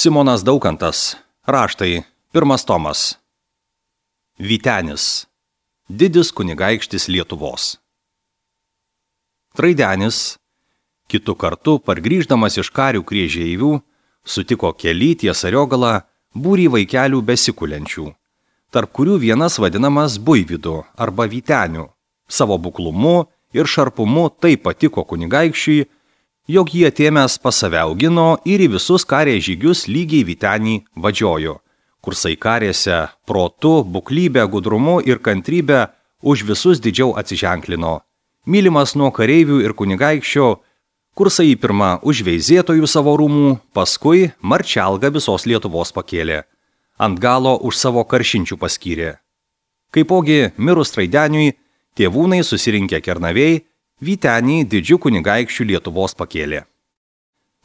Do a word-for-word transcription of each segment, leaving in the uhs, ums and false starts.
Simonas Daukantas. Raštai. Pirmas tomas. Vytenis. Didis kunigaikštis Lietuvos. Traidenis, kitu kartu pargrįždamas iš karių Kriežeivių, sutiko kely ties Ariogalą būrį vaikelių besikulenčių, tarp kurių vienas vadinamas Buivydu arba Vyteniu. Savo buklumu ir šarpumu taip patiko kunigaikščiui, jog jį atėmęs pas save augino ir į visus karės žygius lygiai Vytenį vadžiojo, kursai karėse protu, buklybę, gudrumu ir kantrybę už visus didžiau atsiženklino. Mylimas nuo kareivių ir kunigaikščio, kursai į pirmą už veizėtojų savo rūmų, paskui marčialgą visos Lietuvos pakėlė. Ant galo už savo karšinčių paskyrė. Kaipogi mirus Traideniui, tėvūnai susirinkę Kernavėj, Vytenį didžių kunigaikščių Lietuvos pakėlė.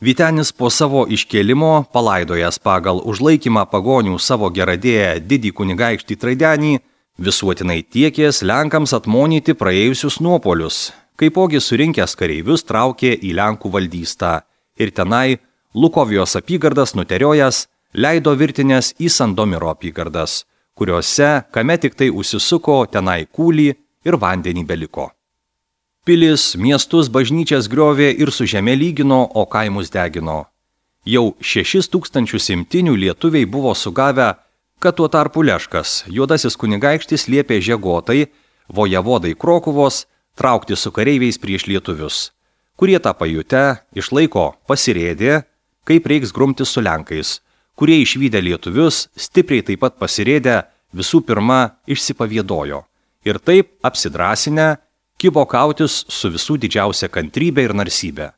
Vytenis po savo iškėlimo, palaidojęs pagal užlaikymą pagonių savo geradėję didį kunigaikštį Traidenį, visuotinai tiekės Lenkams atmonyti praėjusius nuopolius, kaipogi surinkęs kareivius traukė į Lenkų valdystą ir tenai Lukovijos apygardas nuteriojęs leido virtinės į Sandomiro apygardas, kuriuose, kame tik tai užsisuko, tenai kūlį ir vandenį beliko. Pilis, miestus, bažnyčias griovė ir su žeme lygino, o kaimus degino. Jau šešis tūkstančius imtinių lietuviai buvo sugavę, kad tuo tarpu Leškas, juodasis kunigaikštis, liepė Žegotai, vojevodai Krokuvos, traukti su kareiviais prieš lietuvius, kurie tą pajutę iš laiko pasirėdė, kaip reiks grumtis su Lenkais, kurie išvydę lietuvius stipriai taip pat pasirėdę visų pirma išsipavėdojo ir taip apsidrasinę kibo kautis su visų didžiausia kantrybė ir narsybė.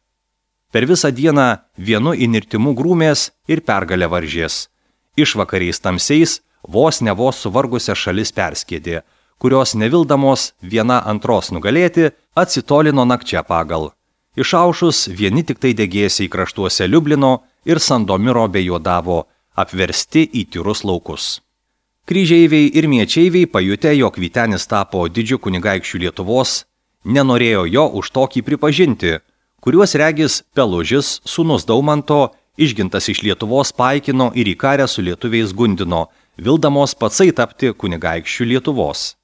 Per visą dieną vienu įnirtimu grūmės ir pergalę varžės. Išvakariais tamsiais vos ne vos suvargusią šalis perskėdė, kurios nevildamos viena antros nugalėti atsitolino nakčia pagal. Išaušus vieni tik tai degėsiai kraštuose Liublino ir Sandomiro bejuodavo, apversti į tyrus laukus. Kryžeiviai ir miečeiviai pajutę, jog Vytenis tapo didžiu kunigaikščiu Lietuvos, nenorėjo jo už tokį pripažinti, kuriuos regis Pelužis, sūnus Daumanto, išgintas iš Lietuvos paikino ir į karę su lietuviais gundino, vildamos patsai tapti kunigaikščiu Lietuvos.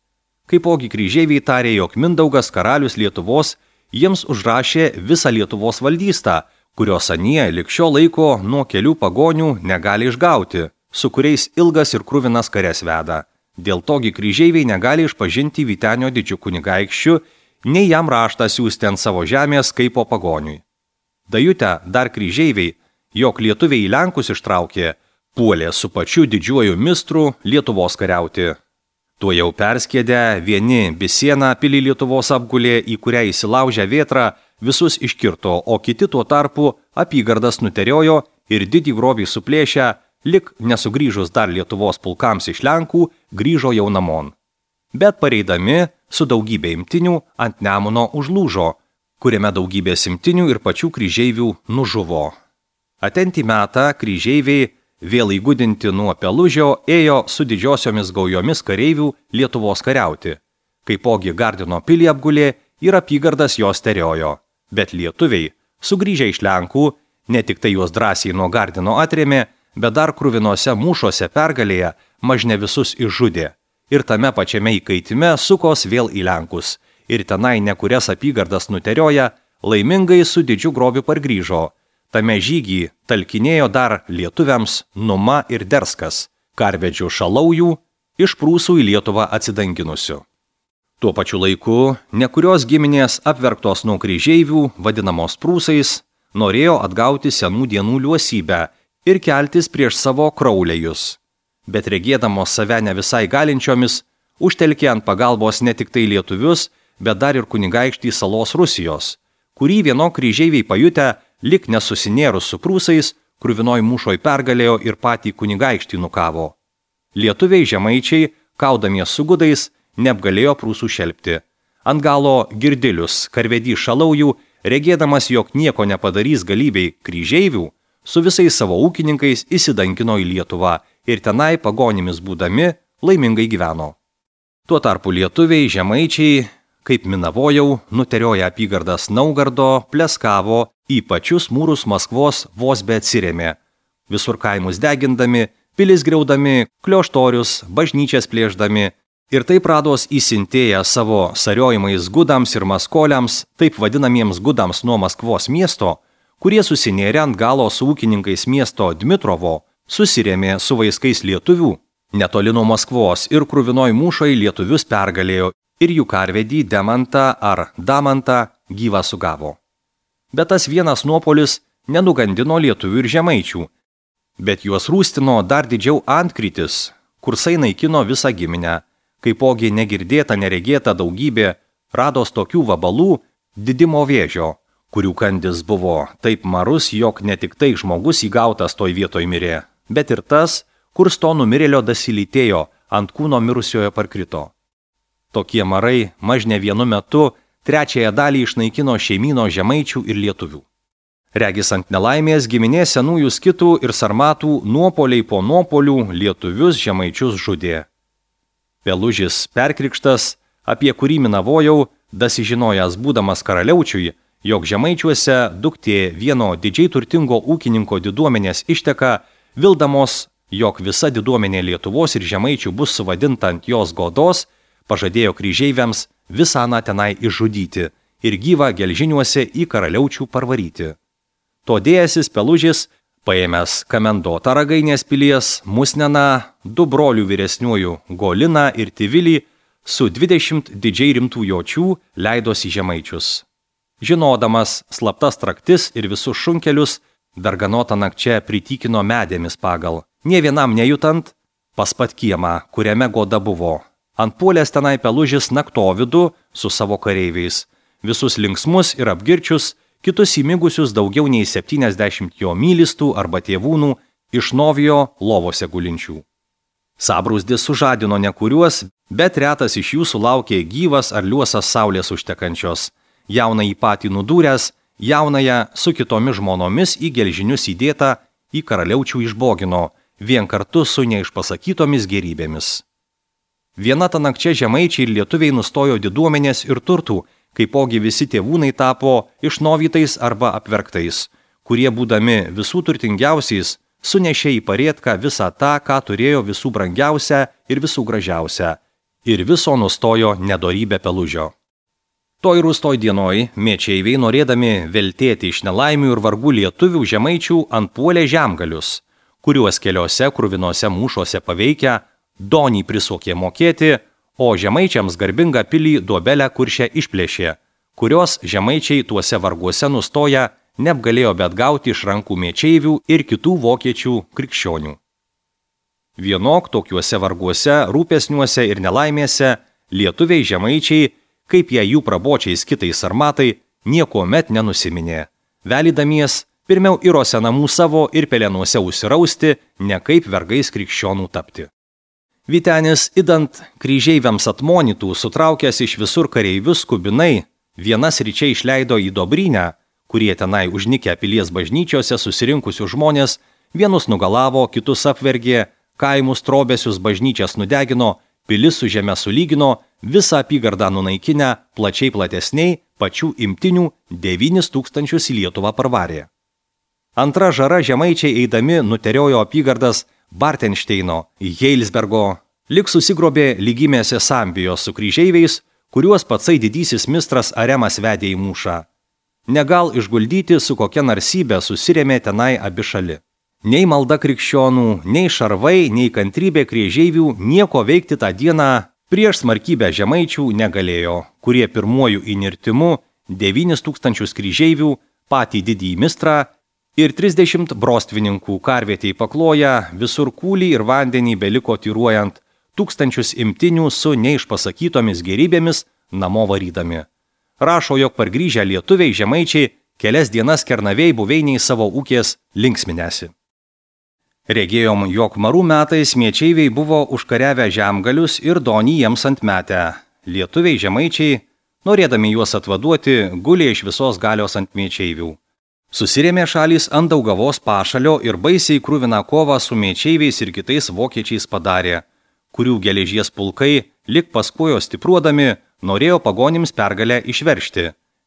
Kaipogi kryžeiviai tarė, jog Mindaugas karalius Lietuvos jiems užrašė visą Lietuvos valdystą, kurios anie lig šio laiko nuo kelių pagonių negali išgauti, su kuriais ilgas ir kruvinas kares veda. Dėl togi kryžeiviai negali išpažinti Vytenio didžiu kunigaikščiu, nei jam raštą siųsti ant savo žemės kaip po pagoniui. Dajutę dar kryžeiviai, jog lietuviai į Lenkus ištraukė, puolė su pačiu didžiuoju mistru Lietuvos kariauti. Tuo jau perskėdę vieni Bisieną pilį Lietuvos apgulė, į kurią įsilaužę vėtrą visus iškirto, o kiti tuo tarpu apygardas nuteriojo ir didį grobį suplėšę, lik nesugrįžus dar Lietuvos pulkams iš Lenkų, grįžo jau namon. Bet pareidami su daugybė imtinių ant Nemuno užlūžo, kuriame daugybė imtinių ir pačių kryžeivių nužuvo. Atentį metą kryžeiviai, vėl įgudinti nuo Pelužio, ėjo su didžiosiomis gaujomis kareivių Lietuvos kariauti. Kaipogi Gardino pilį apgulė ir apygardas jos teriojo. Bet lietuviai, sugrįžę iš Lenkų, ne tik tai juos drąsiai nuo Gardino atrėmė, bet dar kruvinose mūšuose pergalėje mažne visus išžudė. Ir tame pačiame įkaitime sukos vėl į Lenkus. Ir tenai nekurias apygardas nuterioja, laimingai su didžiu grobiu pargrįžo. Tame žygį talkinėjo dar lietuviams Numa ir Derskas, karvedžių Šalaujų, iš Prūsų į Lietuvą atsidanginusių. Tuo pačiu laiku nekurios giminės apverktos nuo kryžeivių, vadinamos Prūsais, norėjo atgauti senų dienų liuosybę ir keltis prieš savo kraulėjus. Bet regėdamos save ne visai galinčiomis, užtelkė ant pagalbos ne tik tai lietuvius, bet dar ir kunigaikštį salos Rusijos, kurį vieno kryžeiviai pajutę, lik nesusinėrus su Prūsais, kruvinoj mūšoj pergalėjo ir patį kunigaikštį nukavo. Lietuviai žemaičiai, kaudamies su gudais, neapgalėjo Prūsų šelpti. Ant galo Girdilius, karvedys Šalaujų, regėdamas, jog nieko nepadarys galybei kryžeivių, su visais savo ūkininkais įsidankino į Lietuvą ir tenai pagonimis būdami laimingai gyveno. Tuo tarpu lietuviai, žemaičiai, kaip minavojau, nuterioja apygardas Naugardo, pleskavo, į pačius mūrus Maskvos vos be atsirėmė, visur kaimus degindami, pilis griaudami, klioštorius, bažnyčias plėždami ir taip rados įsintėję savo sariojimais gudams ir maskoliams, taip vadinamiems gudams nuo Maskvos miesto, kurie susinėrė ant galo su ūkininkais miesto Dmitrovo, susirėmė su vaiskais lietuvių. Netoli nuo Maskvos ir krūvinoj mūšoj lietuvius pergalėjo ir jų karvedį Demantą ar Damantą gyvą sugavo. Bet tas vienas nuopolis nenugandino lietuvių ir žemaičių, bet juos rūstino dar didžiau antkrytis, kursai naikino visą giminę, kaipogi negirdėta neregėta daugybė rados tokių vabalų didimo vėžio, kurių kandis buvo taip marus, jog ne tik tai žmogus įgautas toj vietoj mirė, bet ir tas, kur sto numirėlio dasilytėjo, ant kūno mirusiojo parkrito. Tokie marai maž ne vienu metu trečiąją dalį išnaikino šeimyno žemaičių ir lietuvių. Regis ant nelaimės giminės senųjų skitų ir sarmatų nuopoliai po nuopolių lietuvius žemaičius žudė. Pelužis perkrikštas, apie kurį minavojau, dasižinojęs būdamas karaliaučiui, jog žemaičiuose duktė vieno didžiai turtingo ūkininko diduomenės išteka, vildamos, jog visa diduomenė Lietuvos ir žemaičių bus suvadinta ant jos godos, pažadėjo kryžeiviams visą aną tenai išžudyti ir gyvą gelžiniuose į karaliaučių parvaryti. Todėjasis Pelužis, paėmęs kamendotą Ragainės pilies, Musneną, du brolių vyresniųjų Goliną ir Tivilį, su dvidešimt didžiai rimtų jočių leidosi žemaičius. Žinodamas slaptas traktis ir visus šunkelius, darganotą nakčia pritykino medėmis pagal, nie vienam nejutant, pas pat kiemą, kuriame goda buvo. Ant puolės tenai Pelužis naktovidu su savo kareiviais, visus linksmus ir apgirčius, kitus įmigusius daugiau nei septyniasdešimt jo mylistų arba tėvūnų iš Novijo lovose gulinčių. Sabrūzdis sužadino nekuriuos, bet retas iš jų sulaukė gyvas ar liuosas saulės užtekančios. Jaunąjį patį nudūręs, jaunąją su kitomis žmonomis į gelžinius įdėtą į karaliaučių išbogino, vien kartu su neišpasakytomis gerybėmis. Viena ta nakčia žemaičiai ir lietuviai nustojo diduomenės ir turtų, kaipogi visi tėvūnai tapo išnovytais arba apverktais, kurie būdami visų turtingiausiais, sunešė į parėtką visą tą, ką turėjo visų brangiausia ir visų gražiausia, ir viso nustojo nedorybė Pelužio. Toj rūstoj dienoj mečeiviai, norėdami veltėti iš nelaimių ir vargų lietuvių žemaičių, antpuolė žemgalius, kuriuos keliose kruvinose mūšuose paveikę, donį prisokė mokėti, o žemaičiams garbingą pilį duobelę kuršę išplėšė, kurios žemaičiai tuose varguose nustoja neapgalėjo bet gauti iš rankų mečeivių ir kitų vokiečių krikščionių. Vienok tokiuose varguose, rūpesniuose ir nelaimėse lietuviai žemaičiai, kaip jie jų prabočiais kitais sarmatai, niekuomet nenusiminė, velydamies pirmiau irose namų savo ir pelenuose užsirausti, ne kaip vergais krikščionų tapti. Vytenis, idant kryžeiviams atmonytų, sutraukęs iš visur kareivius skubinai, vienas ryčiai išleido į Dobrynę, kurie tenai užnikę pilies bažnyčiose susirinkusių žmonės, vienus nugalavo, kitus apvergė, kaimus trobesius bažnyčias nudegino, pilis su žeme sulygino, visą apygardą nunaikinę, plačiai platesniai, pačių imtinių devynis tūkstančius į Lietuvą parvarė. Antra žara žemaičiai eidami nuteriojo apygardas Bartenšteino, Heilsbergo, lik susigrobė lygimėse Sambijos su kryžeiviais, kuriuos patsai didysis mistras Aremas vedė į mūšą. Negal išguldyti su kokia narsybė susirėmė tenai abi šali. Nei malda krikščionų, nei šarvai, nei kantrybė kryžeivių nieko veikti tą dieną prieš smarkybę žemaičių negalėjo, kurie pirmuoju įnirtimu devynis tūkstančius kryžeivių, patį didįjį mistrą, ir trisdešimt brostvininkų karvietėj pakloja, visur kūlį ir vandenį beliko tyruojant, tūkstančius imtinių su neišpasakytomis gerybėmis namo varydami. Rašo, jog pargrįžę lietuviai žemaičiai kelias dienas Kernavėj buveiniai savo ūkės linksminėsi. Regėjom, jog marų metais mečeiviai buvo užkariavę žemgalius ir donį jiems antmetę. Lietuviai žemaičiai, norėdami juos atvaduoti, gulė iš visos galios ant mečeivių. Susirėmė šalys ant Daugavos pašalio ir baisiai kruviną kovą su mečeiviais ir kitais vokiečiais padarė, kurių geležies pulkai, lik paskuojo stipruodami, norėjo pagonims pergalę išveršti,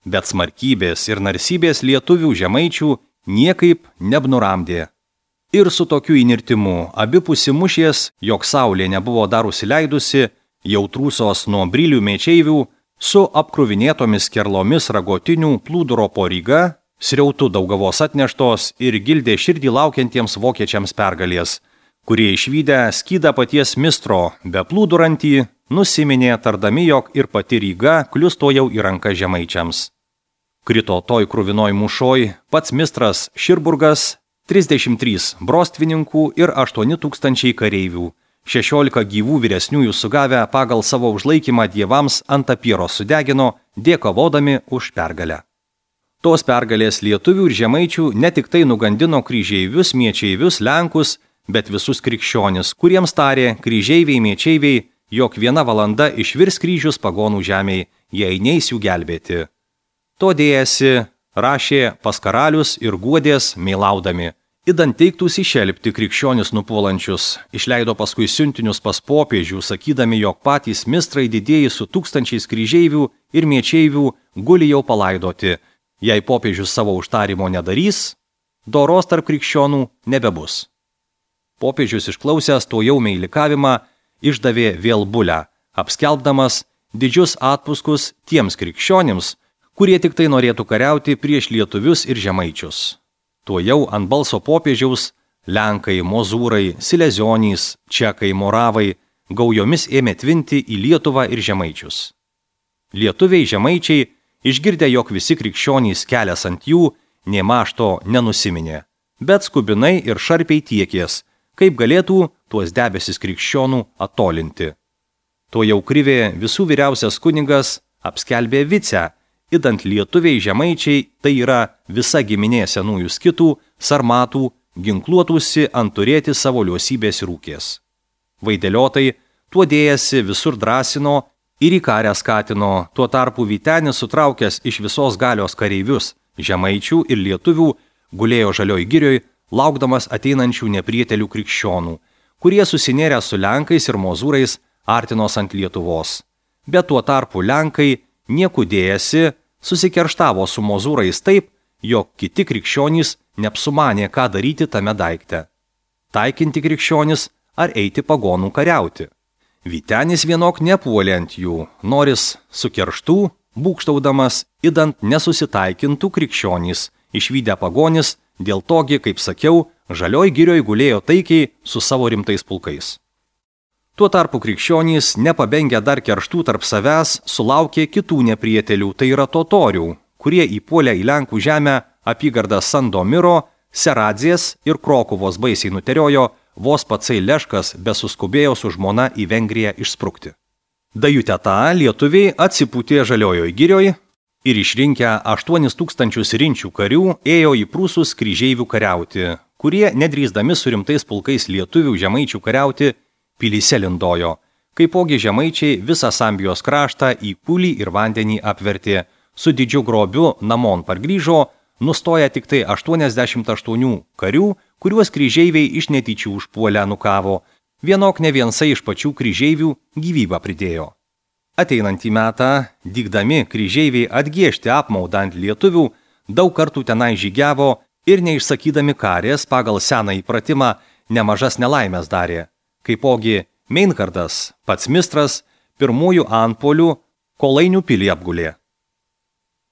bet smarkybės ir narsybės lietuvių žemaičių niekaip neapnuramdė. Ir su tokiu įnirtimu abipusi mušies, jog saulė nebuvo dar užsileidusi, jau trūsos nuo brilių mečeivių, su apkruvinėtomis kerlomis ragotinių plūduro po Ryga, sriautų Daugavos atneštos ir gildė širdį laukiantiems vokiečiams pergalės, kurie išvydę skydą paties mistro be plūdurantį, nusiminė tardami, jog ir pati Ryga kliusto jau į ranką žemaičiams. Krito toj kruvinoj mūšoj pats mistras Širburgas, trisdešimt trys brostvininkų ir aštuoni tūkstančiai kareivių, šešiolika gyvų vyresniųjų sugavę pagal savo užlaikymą dievams ant apyros sudegino, dėkovodami už pergalę. Tos pergalės lietuvių ir žemaičių ne tik tai nugandino kryžeivius, miečeivius, lenkus, bet visus krikščionis, kuriems tarė kryžeiviai, miečeiviai, jog viena valanda išvirs kryžius pagonų žemėj, jei neis jų gelbėti. To dėjasi, rašė pas karalius ir guodės meilaudami. Idant teiktus išelpti krikščionis nupuolančius, išleido paskui siuntinius pas popiežių, sakydami, jog patys mistrai didieji su tūkstančiais kryžeivių ir miečeivių guli jau palaidoti. Jei popiežius savo užtarimo nedarys, doros tarp krikščionų nebebus. Popiežius išklausęs to jau meilikavimą, išdavė vėl bulę, apskelbdamas didžius atpuskus tiems krikščionims, kurie tik tai norėtų kariauti prieš lietuvius ir žemaičius. Tuo jau ant balso popiežiaus lenkai, mozūrai, silezionys, čekai, moravai gaujomis ėmė tvinti į Lietuvą ir žemaičius. Lietuviai žemaičiai, išgirdę, jog visi krikščionys kelias ant jų, nė mašto nenusiminė, bet skubinai ir šarpiai tiekės, kaip galėtų tuos debesis krikščionų attolinti. Tuo jau krivė visų vyriausias kunigas apskelbė vicę, idant lietuviai žemaičiai, tai yra visa giminė senųjų skitų, sarmatų, ginkluotųsi ant turėti savo liosybės rūkės. Vaideliotai tuo dėjasi visur drąsino ir į karę skatino, tuo tarpu Vytenis sutraukęs iš visos galios kareivius, žemaičių ir lietuvių, gulėjo žalioj girioj, laukdamas ateinančių neprietelių krikščionų, kurie susinėrę su lenkais ir mozūrais artinos ant Lietuvos. Bet tuo tarpu lenkai nieku dėjasi, susikerštavo su mozūrais taip, jog kiti krikščionys neapsumanė, ką daryti tame daikte. Taikinti krikščionis ar eiti pagonų kariauti. Vytenis vienok nepuolė ant jų, noris su kerštų, būkštaudamas, idant nesusitaikintų krikščionys, išvydę pagonis, dėl togi, kaip sakiau, žalioj girioj gulėjo taikiai su savo rimtais pulkais. Tuo tarpu krikščionys, nepabengę dar kerštų tarp savęs, sulaukė kitų neprietelių, tai yra totorių, kurie įpuolę į Lenkų žemę apygardą Sandomiro, Seradzės ir Krokuvos baisiai nuteriojo, vos patsai Leškas besuskubėjo su žmona į Vengriją išsprukti. Dajutę tą lietuviai atsipūtė žaliojoj girioj ir išrinkę aštuonis tūkstančius rinčių karių ėjo į prūsus kryžeivių kariauti, kurie, nedrįsdami su rimtais pulkais lietuvių žemaičių kariauti, pilyse lindojo, kaipogi žemaičiai visą Sambijos kraštą į pūlį ir vandenį apvertė, su didžiu grobiu namon pargrįžo, nustoja tik tai aštuoniasdešimt aštuonių karių, kuriuos kryžeiviai iš netyčių užpuolę nukavo, vienok ne viensai iš pačių kryžeivių gyvybę pridėjo. Ateinantį metą, dygdami kryžeiviai atgiežti apmaudą ant lietuvių, daug kartų tenai žygiavo ir neišsakydami karės pagal seną įpratimą nemažas nelaimės darė. Kaipogi Meinhardas, pats mistras, pirmųjų antpolių Kolainių pilį apgulė.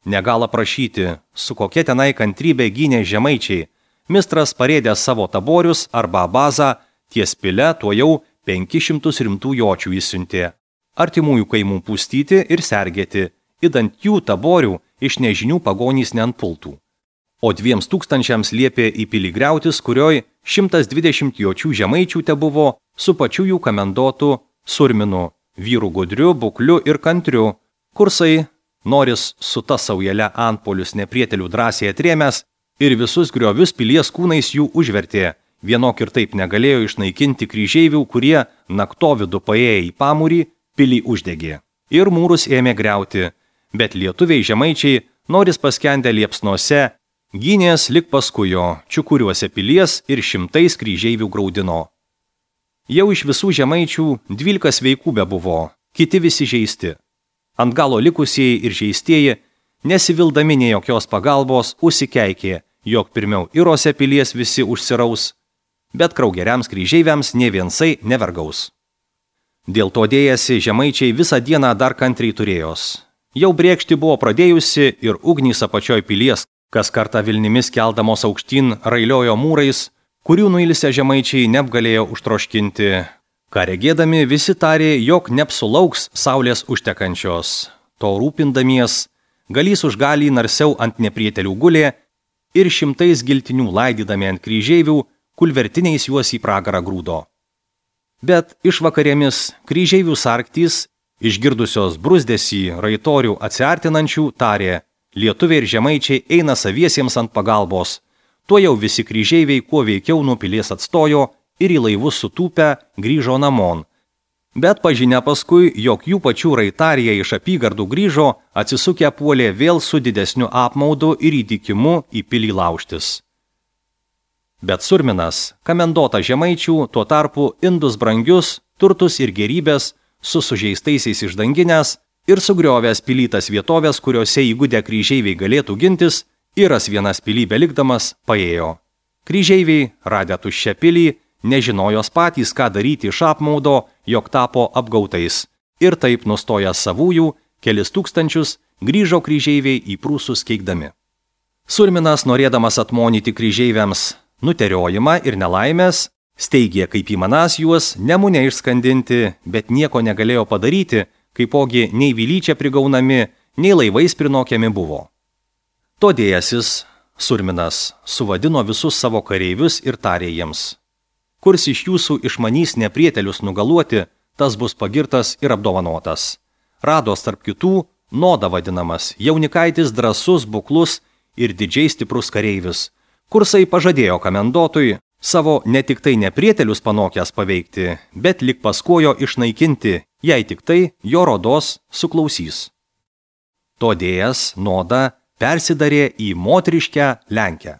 Negala prašyti, su kokia tenai kantrybė gynė žemaičiai, mistras parėdė savo taborius arba bazą, ties pile tuo jau penkis šimtus rimtų jočių įsiuntė. Artimųjų kaimų pūstyti ir sergėti, idant jų taborių iš nežinių pagonys neantpultų. O dviems tūkstančiams liepė į pilį griautis, kurioj šimtas dvidešimt jočių žemaičių te buvo su pačiu jų kamendotu Surminu, vyru gudriu, bukliu ir kantriu, kursai, noris su ta saujelė antpolius neprietelių drąsiai atrėmęs ir visus griovius pilies kūnais jų užvertė, vienok ir taip negalėjo išnaikinti kryžeivių, kurie naktovidu paėję į pamūrį, pilį uždegė. Ir mūrus ėmė griauti, bet lietuviai žemaičiai, noris paskendę liepsnose, gynės lik paskujo, čiukuriuose pilies ir šimtais kryžeivių graudino. Jau iš visų žemaičių dvylika sveikų bebuvo, kiti visi žeisti. Ant galo likusieji ir žeistieji, nesivildami nei jokios pagalbos, užsikeikė, jog pirmiau Irose pilies visi užsiraus, bet kraugeriams kryžeiviams nė viensai nevergaus. Dėl to dėjasi žemaičiai visą dieną dar kantriai turėjos. Jau brėkšti buvo pradėjusi ir ugnys apačioj pilies, kas kartą Vilnimis keldamos aukštyn railiojo mūrais, kurių nuilsę žemaičiai neapgalėjo užtroškinti. Ką regėdami visi tarė, jog neapsulauks saulės užtekančios. To rūpindamies, galys už galį narsiau ant neprietelių gulė ir šimtais giltinių laidydami ant kryžeivių, kulvertiniais juos į pragarą grūdo. Bet išvakarėmis kryžeivių sarktys, išgirdusios brusdesį raitorių atsiartinančių, tarė, lietuviai ir žemaičiai eina saviesiems ant pagalbos. Tuo jau visi kryžeiviai kuo veikiau nuo pilies atstojo ir į laivus sutūpę grįžo namon. Bet pažinę paskui, jog jų pačių raitarija iš apygardų grįžo, atsisukę puolė vėl su didesniu apmaudu ir įtikimu į pilį laužtis. Bet Surminas, kamendota žemaičių, tuo tarpu indus brangius, turtus ir gerybės, su sužeistaisiais išdanginės ir sugriovęs pilytas vietovės, kuriuose įgudę kryžeiviai galėtų gintis, Iras vienas pilį belikdamas paėjo. Kryžeiviai, radę tuščią pilį, nežinojos patys, ką daryti iš apmaudo, jog tapo apgautais. Ir taip nustoja savųjų, kelis tūkstančius, grįžo kryžeiviai į prūsus keikdami. Surminas, norėdamas atmonyti kryžeiviams nuteriojimą ir nelaimės, steigė kaip įmanas juos nemune išskandinti, bet nieko negalėjo padaryti, kaipogi nei vilyčia prigaunami, nei laivais prinokiami buvo. Todėjasis Surminas suvadino visus savo kareivius ir tarė jiems. Kurs iš jūsų išmanys neprietelius nugaluoti, tas bus pagirtas ir apdovanotas. Rados tarp kitų Noda vadinamas, jaunikaitis drąsus, buklus ir didžiai stiprus kareivis. Kursai pažadėjo kamendotui savo ne tik tai neprietelius panokęs paveikti, bet lik paskojo išnaikinti, jei tik tai jo rodos suklausys. Todėjas Noda persidarė į moteriškę Lenkę.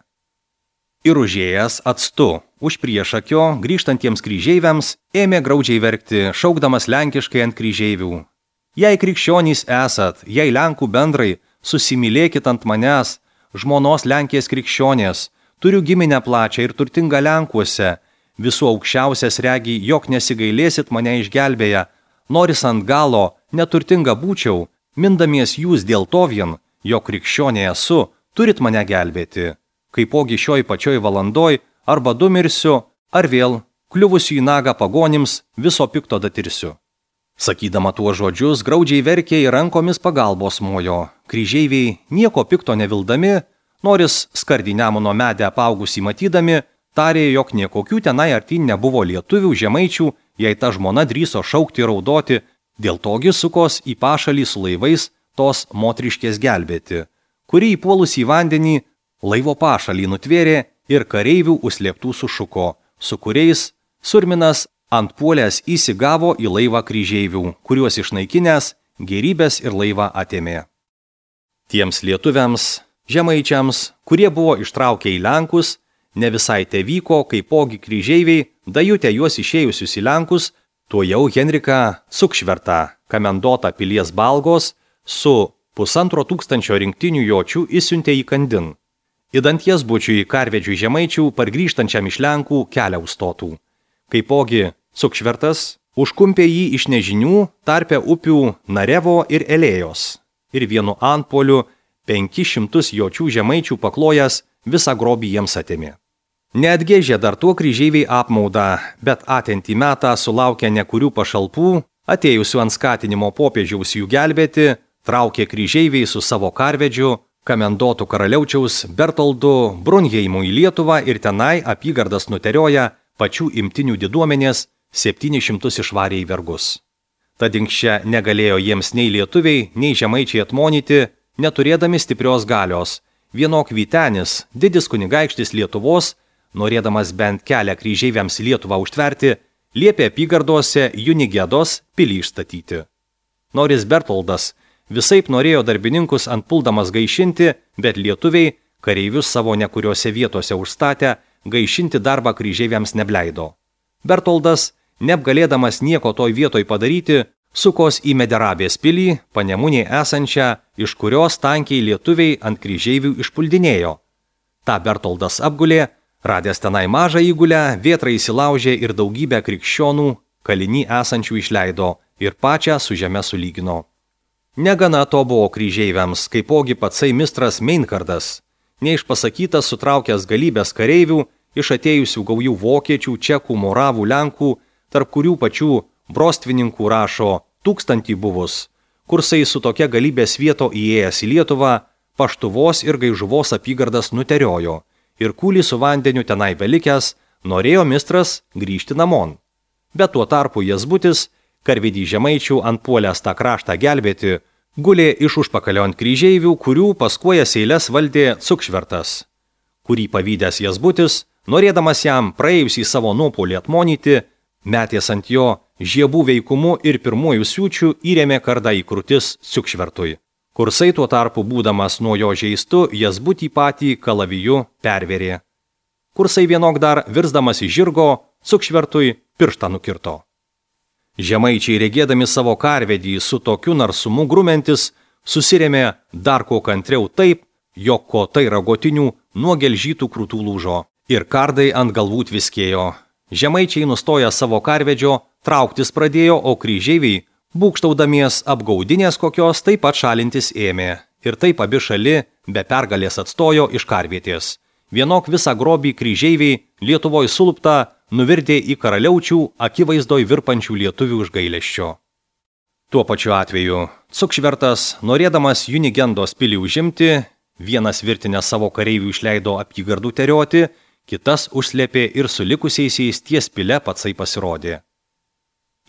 Ir užėjęs atstu už priešakio grįžtantiems kryžeiviams ėmė graudžiai verkti, šaukdamas lenkiškai ant kryžeivių. Jei krikščionys esat, jei Lenkų bendrai, susimylėkit ant manęs, žmonos Lenkės krikščionės, turiu giminę plačią ir turtingą Lenkuose, visų aukščiausias regi, jog nesigailėsit mane išgelbėję, noris ant galo, neturtinga būčiau, mindamies jūs dėl to vien, jog krikščionė esu, turit mane gelbėti. Kaipogi šioj pačioj valandoj arba du mirsiu, ar vėl, kliuvusiu į nagą pagonims, viso pikto datirsiu. Sakydama tuo žodžius, graudžiai verkė ir rankomis pagalbos mojo. Kryžeiviai, nieko pikto nevildami, noris skardį Nemuno medę apaugusį matydami, tarė, jog niekokių tenai artin nebuvo lietuvių, žemaičių, jei ta žmona drįso šaukti ir raudoti, dėl togi sukos į pašalį su laivais tos motriškės gelbėti, kuri įpuolus į vandenį laivo pašalį nutvėrė ir kareivių užslėptų sušuko, su kuriais Surminas ant puolės įsigavo į laivą kryžeivių, kuriuos išnaikinęs gerybės ir laivą atėmė. Tiems lietuviams, žemaičiams, kurie buvo ištraukę į Lenkus, ne visai te vyko, kaipogi kryžeiviai, dajutę juos išėjusius į Lenkus, tuo jau Henrika Cukšvertą, kamendotą pilies Balgos, su pusantro tūkstančio rinktinių jočių įsiuntė į Kandin. Įdant jas bučiui karvedžių žemaičių pargrįžtančiam iš Lenkų kelią užstotų. Kaipogi Cukšvertas užkumpė jį iš nežinių tarpe upių Narevo ir Elėjos ir vienu antpoliu penkis šimtus jočių žemaičių paklojęs visą grobį jiems atėmė. Neatgėžė dar tuo kryžeiviai apmaudą, bet atentį metą sulaukę nekurių pašalpų, atėjusių ant skatinimo popiežiaus jų gelbėti, traukė kryžeiviai su savo karvedžiu, kamendotų karaliaučiaus Bertoldu Brunheimu į Lietuvą ir tenai apygardas nuterioja pačių imtinių diduomenės septynis šimtus išvarė į vergus. Tad inkščia negalėjo jiems nei lietuviai, nei žemaičiai atmonyti, neturėdami stiprios galios. Vienok Vytenis, didis kunigaikštis Lietuvos, norėdamas bent kelią kryžeiviams Lietuvą užtverti, liepė apygardose Junigedos pilį išstatyti. Noris Bertoldas visaip norėjo darbininkus antpuldamas gaišinti, bet lietuviai, kareivius savo nekuriuose vietose užstatę, gaišinti darbą kryžeiviams nebleido. Bertoldas, neapgalėdamas nieko toj vietoj padaryti, sukos į Mederabės pilį, Panemunėje esančią, iš kurios tankiai lietuviai ant kryžeivių išpuldinėjo. Ta Bertoldas apgulė, Radęs tenai mažą įgulę, vėtra įsilaužė ir daugybę krikščionų kalinį esančių išleido ir pačią su žeme sulygino. Negana to buvo kryžeiviams, kaipogi patsai mistras Meinhardas, neišpasakytas sutraukęs galybės kareivių iš atėjusių gaujų vokiečių, čekų, moravų, lenkų, tarp kurių pačių brostvininkų rašo tūkstantį buvus, kursai su tokia galybės vieto įėjęs į Lietuvą, Paštuvos ir Gaižuvos apygardas nuteriojo ir kūlį su vandeniu tenai belikęs norėjo mistras grįžti namon. Bet tuo tarpu Jazbutis, karvedį žemaičių antpuolęs tą kraštą gelbėti, gulė iš užpakalio ant kryžeivių, kurių paskuojas eiles valdė Cukšvertas, kurį pavydęs Jazbutis, norėdamas jam praėjusį savo nuopolį atmonyti, metės ant jo žiebų veikumu ir pirmųjų siūčių įrėmė kardą į krūtis Cukšvertui. Kursai tuo tarpu būdamas nuo jo žeistu, Jazbutį patį kalaviju perverė. Kursai vienok dar, virsdamas į žirgo, Cukšvertui pirštą nukirto. Žemaičiai regėdami savo karvedį su tokiu narsumu grumentis, susirėmė dar ko kantriau taip, jog kotai ragotinių nuo gelžytų krūtų lūžo ir kardai ant galvų tviskėjo. Žemaičiai nustoja savo karvedžio, trauktis pradėjo, o kryžeiviai, būkštaudamies apgaudinės kokios, taip pat šalintis ėmė. Ir taip abi šali be pergalės atstojo iš karvietės. Vienok visą grobį kryžeiviai Lietuvoj sulupta nuvirdė į karaliaučių akivaizdoj virpančių lietuvių iš gailesčio. Tuo pačiu atveju Cukšvertas, norėdamas Junigendos pilį užimti, vienas virtinę savo kareivių išleido apygardų terioti, kitas užslėpė ir su likusiaisiais ties pile patsai pasirodė.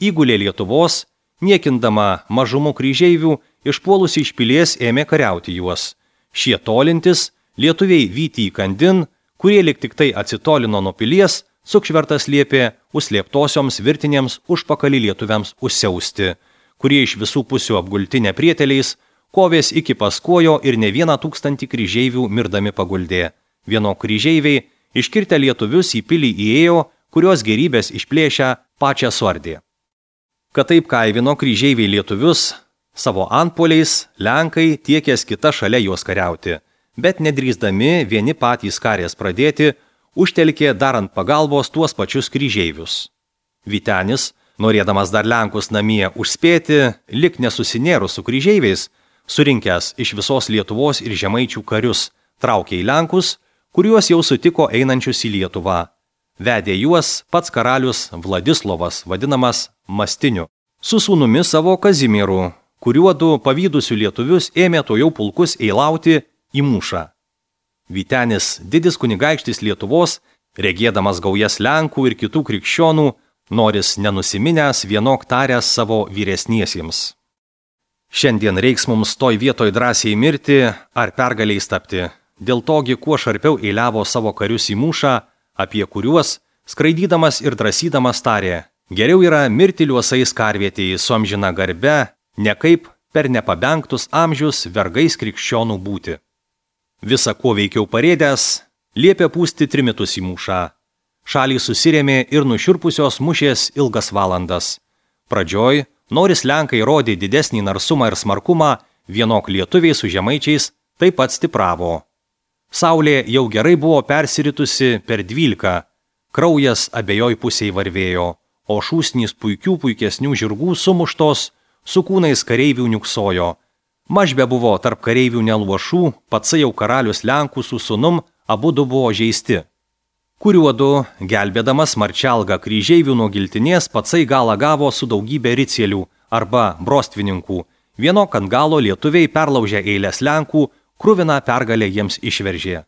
Įgulė Lietuvos, niekindama mažumų kryžeivių, išpuolusi iš pilies ėmė kariauti juos. Šie tolintis, lietuviai vyti į kandin, kurie lik tik tai atsitolino nuo pilies, Cukšvertas liepė užslėptosioms virtinėms užpakalį lietuviams užsiausti, kurie iš visų pusių apgulti neprieteliais, kovės iki Paskuojo ir ne vieną tūkstantį kryžeivių mirdami paguldė. Vieno kryžeiviai iškirtę lietuvius į pilį įėjo, kurios gerybės išplėšę pačią suardė. Kad taip kaivino kryžeiviai lietuvius, savo antpoliais lenkai tiekės kita šalia juos kariauti, bet nedrįsdami vieni patys karės pradėti, užtelkė darant pagalbos tuos pačius kryžeivius. Vytenis, norėdamas dar lenkus namie užspėti, lik nesusinėrus su kryžeiviais, surinkęs iš visos Lietuvos ir žemaičių karius, traukė į lenkus, kuriuos jau sutiko einančius į Lietuvą. Vedė juos pats karalius Vladislovas, vadinamas Mastiniu, su sūnumi savo Kazimieru, kuriuodu pavydusių lietuvius ėmė to jau pulkus eilauti į mūšą. Vytenis, didis kunigaikštis Lietuvos, regėdamas gaujas lenkų ir kitų krikščionų, noris nenusiminęs vienok taręs savo vyresniesiems. Šiandien reiks mums toj vietoj drąsiai mirti ar pergaliais tapti. Dėl togi kuo šarpiau eiliavo savo karius į mūšą, apie kuriuos, skraidydamas ir drąsydamas tarė, geriau yra mirti liuosais karvietėje su amžina garbe, ne kaip per nepabengtus amžius vergais krikščionų būti. Visa kuo veikiau parėdęs, liepė pūsti trimitus į mūšą. Šalį susirėmė ir nušiurpusios mušės ilgas valandas. Pradžioj, noris lenkai rodė didesnį narsumą ir smarkumą, vienok lietuviai su žemaičiais taip pat stipravo. Saulė jau gerai buvo persiritusi per dvylika, kraujas abiejoj pusėj varvėjo, o šūsnys puikių puikesnių žirgų sumuštos, su kūnais kareivių niuksojo. Mažbe buvo tarp kareivių neluošų, patsai jau karalius Lenkų su sūnum abudu buvo žeisti. Kuriuodu, gelbėdamas marčialgą kryžeivių nuo giltinės, patsai galą gavo su daugybė ricielių arba brostvininkų. Vienok ant galo lietuviai perlaužė eilės Lenkų, kruviną pergalę jiems išveržė.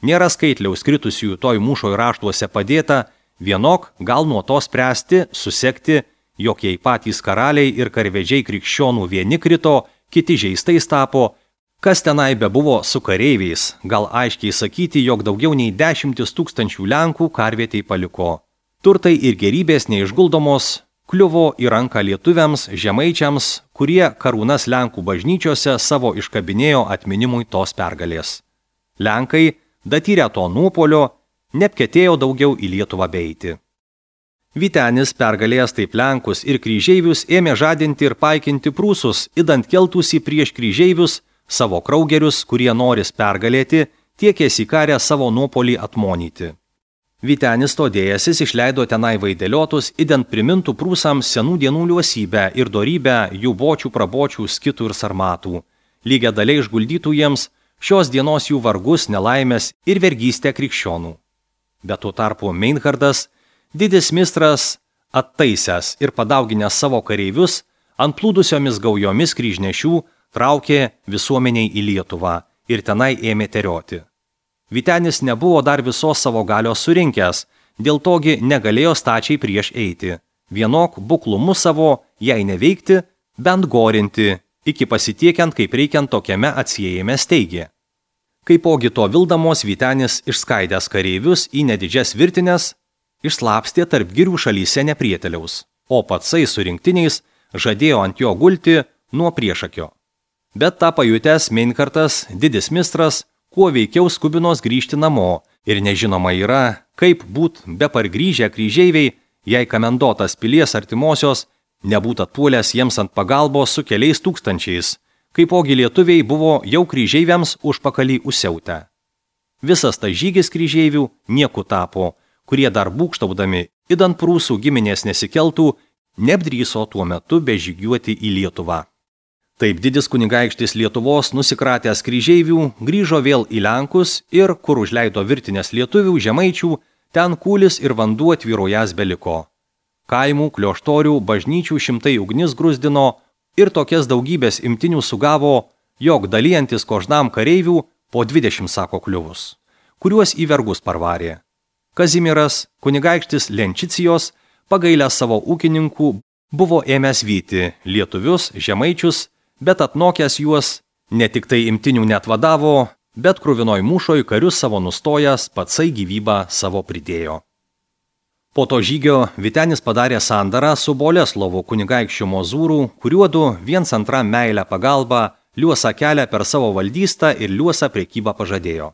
Nėra skaitliaus kritusiųjų toj mūšoj raštuose padėta, vienok gal nuo to spręsti, susekti, jog jei patys karaliai ir karvedžiai krikščionų vieni krito, kiti žeistais tapo, kas tenai bebuvo su kareiviais, gal aiškiai sakyti, jog daugiau nei dešimtis tūkstančių Lenkų karvietei paliko. Turtai ir gerybės neišguldomos kliuvo į ranką lietuviams, žemaičiams, kurie karūnas Lenkų bažnyčiose savo iškabinėjo atminimui tos pergalės. Lenkai, datyrę to nuopolio, neapketėjo daugiau į Lietuvą beiti. Vytenis, pergalėjęs taip Lenkus ir kryžeivius, ėmė žadinti ir paikinti prūsus, idant keltųsi prieš kryžeivius, savo kraugerius, kurie noris pergalėti, tiekėsi karę savo nuopolį atmonyti. Vytenis todėjasis išleido tenai vaidėliotus, ident primintų prūsams senų dienų liuosybę ir dorybę jų bočių, prabočių, skitų ir sarmatų. Lygia daliai išguldytų jiems šios dienos jų vargus, nelaimės ir vergystę krikščionų. Bet tuo tarpu Meinhardas, didis mistras, attaisęs ir padauginęs savo kareivius, ant plūdusiomis gaujomis kryžnešių traukė visuomeniai į Lietuvą ir tenai ėmė terioti. Vytenis nebuvo dar visos savo galios surinkęs, dėl togi negalėjo stačiai prieš eiti. Vienok buklumu savo, jei neveikti, bent gorinti, iki pasitiekiant, kaip reikiant tokiame atsiejime steigė. Kaipogi to vildamos Vytenis išskaidęs kareivius į nedidžias virtinės, išslapstė tarp girių šalyse neprieteliaus, o patsai su rinktiniais žadėjo ant jo gulti nuo priešakio. Bet tą pajutęs Meinhardas, didis mistras, kuo veikiau skubinos grįžti namo ir nežinoma yra, kaip būt be pargrįžę kryžeiviai, jei komendotas pilies artimosios nebūt atpuolęs jiems ant pagalbos su keliais tūkstančiais, kaipogi lietuviai buvo jau kryžeiviams užpakalį užsiautę. Visas tas žygis kryžeivių nieku tapo, kurie dar būkštaudami, idant prūsų giminės nesikeltų, neapdryso tuo metu bežygiuoti į Lietuvą. Taip didis kunigaikštis Lietuvos nusikratęs kryžeivių grįžo vėl į Lenkus ir, kur užleido virtinės lietuvių žemaičių, ten kūlis ir vanduo tvyrojas beliko. Kaimų, klioštorių, bažnyčių šimtai ugnis grūzdino ir tokias daugybės imtinių sugavo, jog dalijantis kožnam kareivių po dvidešimt sako kliuvus, kuriuos į vergus parvarė. Kazimieras, kunigaikštis Lenčicijos, pagailęs savo ūkininkų, buvo ėmęs vyti lietuvius, žemaičius, bet atnokęs juos, ne tik tai imtinių net vadavo, bet kruvinoj mūšoj karius savo nustojęs, patsai gyvybą savo pridėjo. Po to žygio Vytenis padarė sandarą su Boleslovu kunigaikščiu Mozūrų, kuriuodu viens antram meilę pagalbą liuosą kelią per savo valdystą ir liuosą prekybą pažadėjo.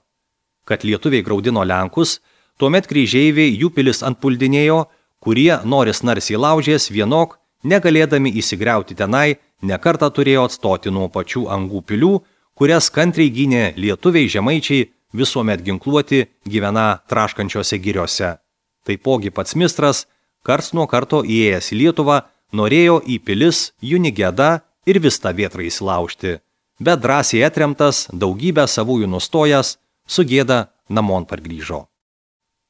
Kad lietuviai graudino Lenkus, tuomet kryžeiviai jų pilis antpuldinėjo, kurie noris narsiai laužės vienok, negalėdami įsigriauti tenai, nekartą turėjo atstoti nuo pačių angų pilių, kurias kantriai gynė lietuviai žemaičiai visuomet ginkluoti gyvena traškančiose giriose. Taipogi pats mistras, karts nuo karto įėjęs į Lietuvą, norėjo į pilis Junigėdą ir Vistą vėtrą įsilaužti, bet drąsiai atremtas, daugybę savųjų nustojęs, su gėda namon pargrįžo.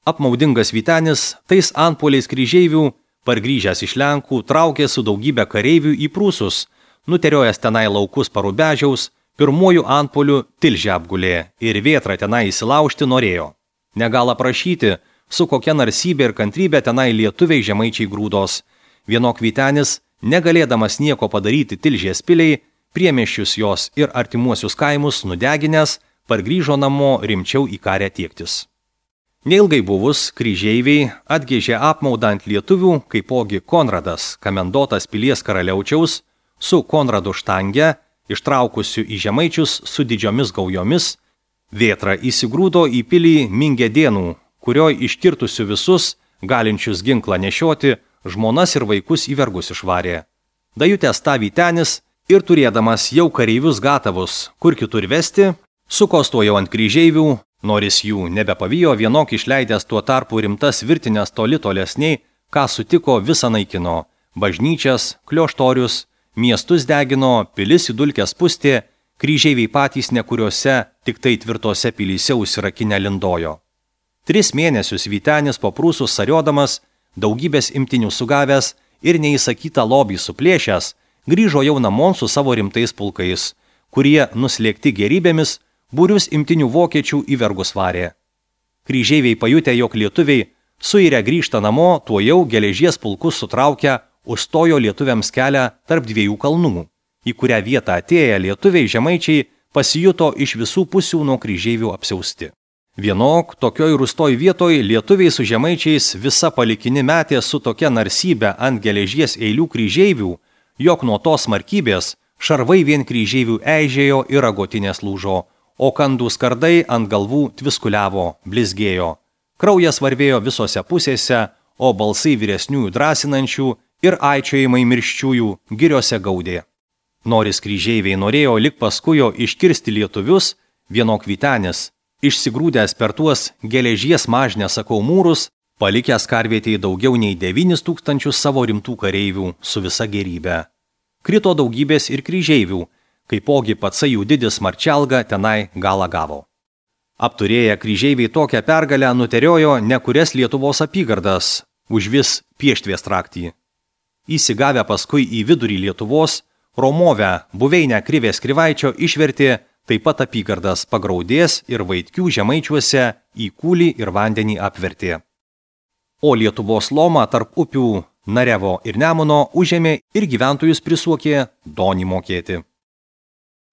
Apmaudingas Vytenis, tais antpuoliais kryžeivių, pargrįžęs iš Lenkų, traukė su daugybė kareivių į Prūsus, nuteriojęs tenai laukus Parubežiaus, pirmuoju antpuoliu Tilžę apgulė ir vėtrą tenai įsilaužti norėjo. Negal aprašyti, su kokia narsybė ir kantrybė tenai lietuviai žemaičiai grūdos. Vienok Vytenis, negalėdamas nieko padaryti Tilžės piliai, priemiesčius jos ir artimuosius kaimus nudeginęs, pargrįžo namo rimčiau į karę tiektis. Neilgai buvus, kryžeiviai atgėžė apmaudą ant lietuvių, kaipogi Konradas, komendotas pilies karaliaučiaus, su Konradu Štange, ištraukusiu į žemaičius su didžiomis gaujomis, vėtra įsigrūdo į pilį Mingėdėnų, kurioj iškirtusiu visus, galinčius ginklą nešioti, žmonas ir vaikus į vergus išvarė. Dajutęs tą Vytenis ir turėdamas jau kareivius gatavus, kur kitur vesti, sukostojo ant kryžeivių, noris jų nebepavijo, vienok išleidęs tuo tarpu rimtas virtinės toli tolesniai, ką sutiko visą naikino, bažnyčias, klioštorius, miestus degino, pilis į dulkes pustė, kryžeiviai patys nekuriuose, tik tai tvirtose pilyse užsirakinę lindojo. Tris mėnesius Vytenis po Prūsų sariodamas, daugybės imtinių sugavęs ir neįsakytą lobį suplėšęs, grįžo jau namon su savo rimtais pulkais, kurie, nuslėgti gerybėmis, būrius imtinių vokiečių į vergus varė. Kryžeiviai pajutę, jog lietuviai suirę grįžta namo, tuo jau geležies pulkus sutraukę, užstojo lietuviams kelią tarp dviejų kalnų, į kurią vietą atėję lietuviai žemaičiai pasijuto iš visų pusių nuo kryžeivių apsiausti. Vienok, tokioj rūstoj vietoj lietuviai su žemaičiais visa palikini metė su tokia narsybė ant geležies eilių kryžeivių, jog nuo tos smarkybės šarvai vien kryžeivių eižėjo ir ragotinės lūžo, o kandų skardai ant galvų tviskuliavo, blizgėjo. Kraujas varvėjo visose pusėse, o balsai vyresniųjų drąsinančių ir aičiojimai mirščiųjų giriose gaudė. Noris kryžeiviai norėjo lik paskujo iškirsti lietuvius, vienok Vytenis, išsigrūdęs per tuos geležies mažnę sakau mūrus, palikęs karvietėje daugiau nei devynis tūkstančius savo rimtų kareivių su visa gerybė. Krito daugybės ir kryžeivių, kaipogi patsai jų didis Marčelga tenai galą gavo. Apturėję kryžeiviai tokią pergalę nuteriojo nekurias Lietuvos apygardas, užvis Pieštvės traktį. Įsigavę paskui į vidurį Lietuvos, Romovę, buveinę Krivės Krivaičio išvertė taip pat apygardas Pagraudės ir Vaitkių žemaičiuose į kūlį ir vandenį apvertė. O Lietuvos lomą tarp upių Narevo ir Nemuno užėmė ir gyventojus prisuokė donį mokėti.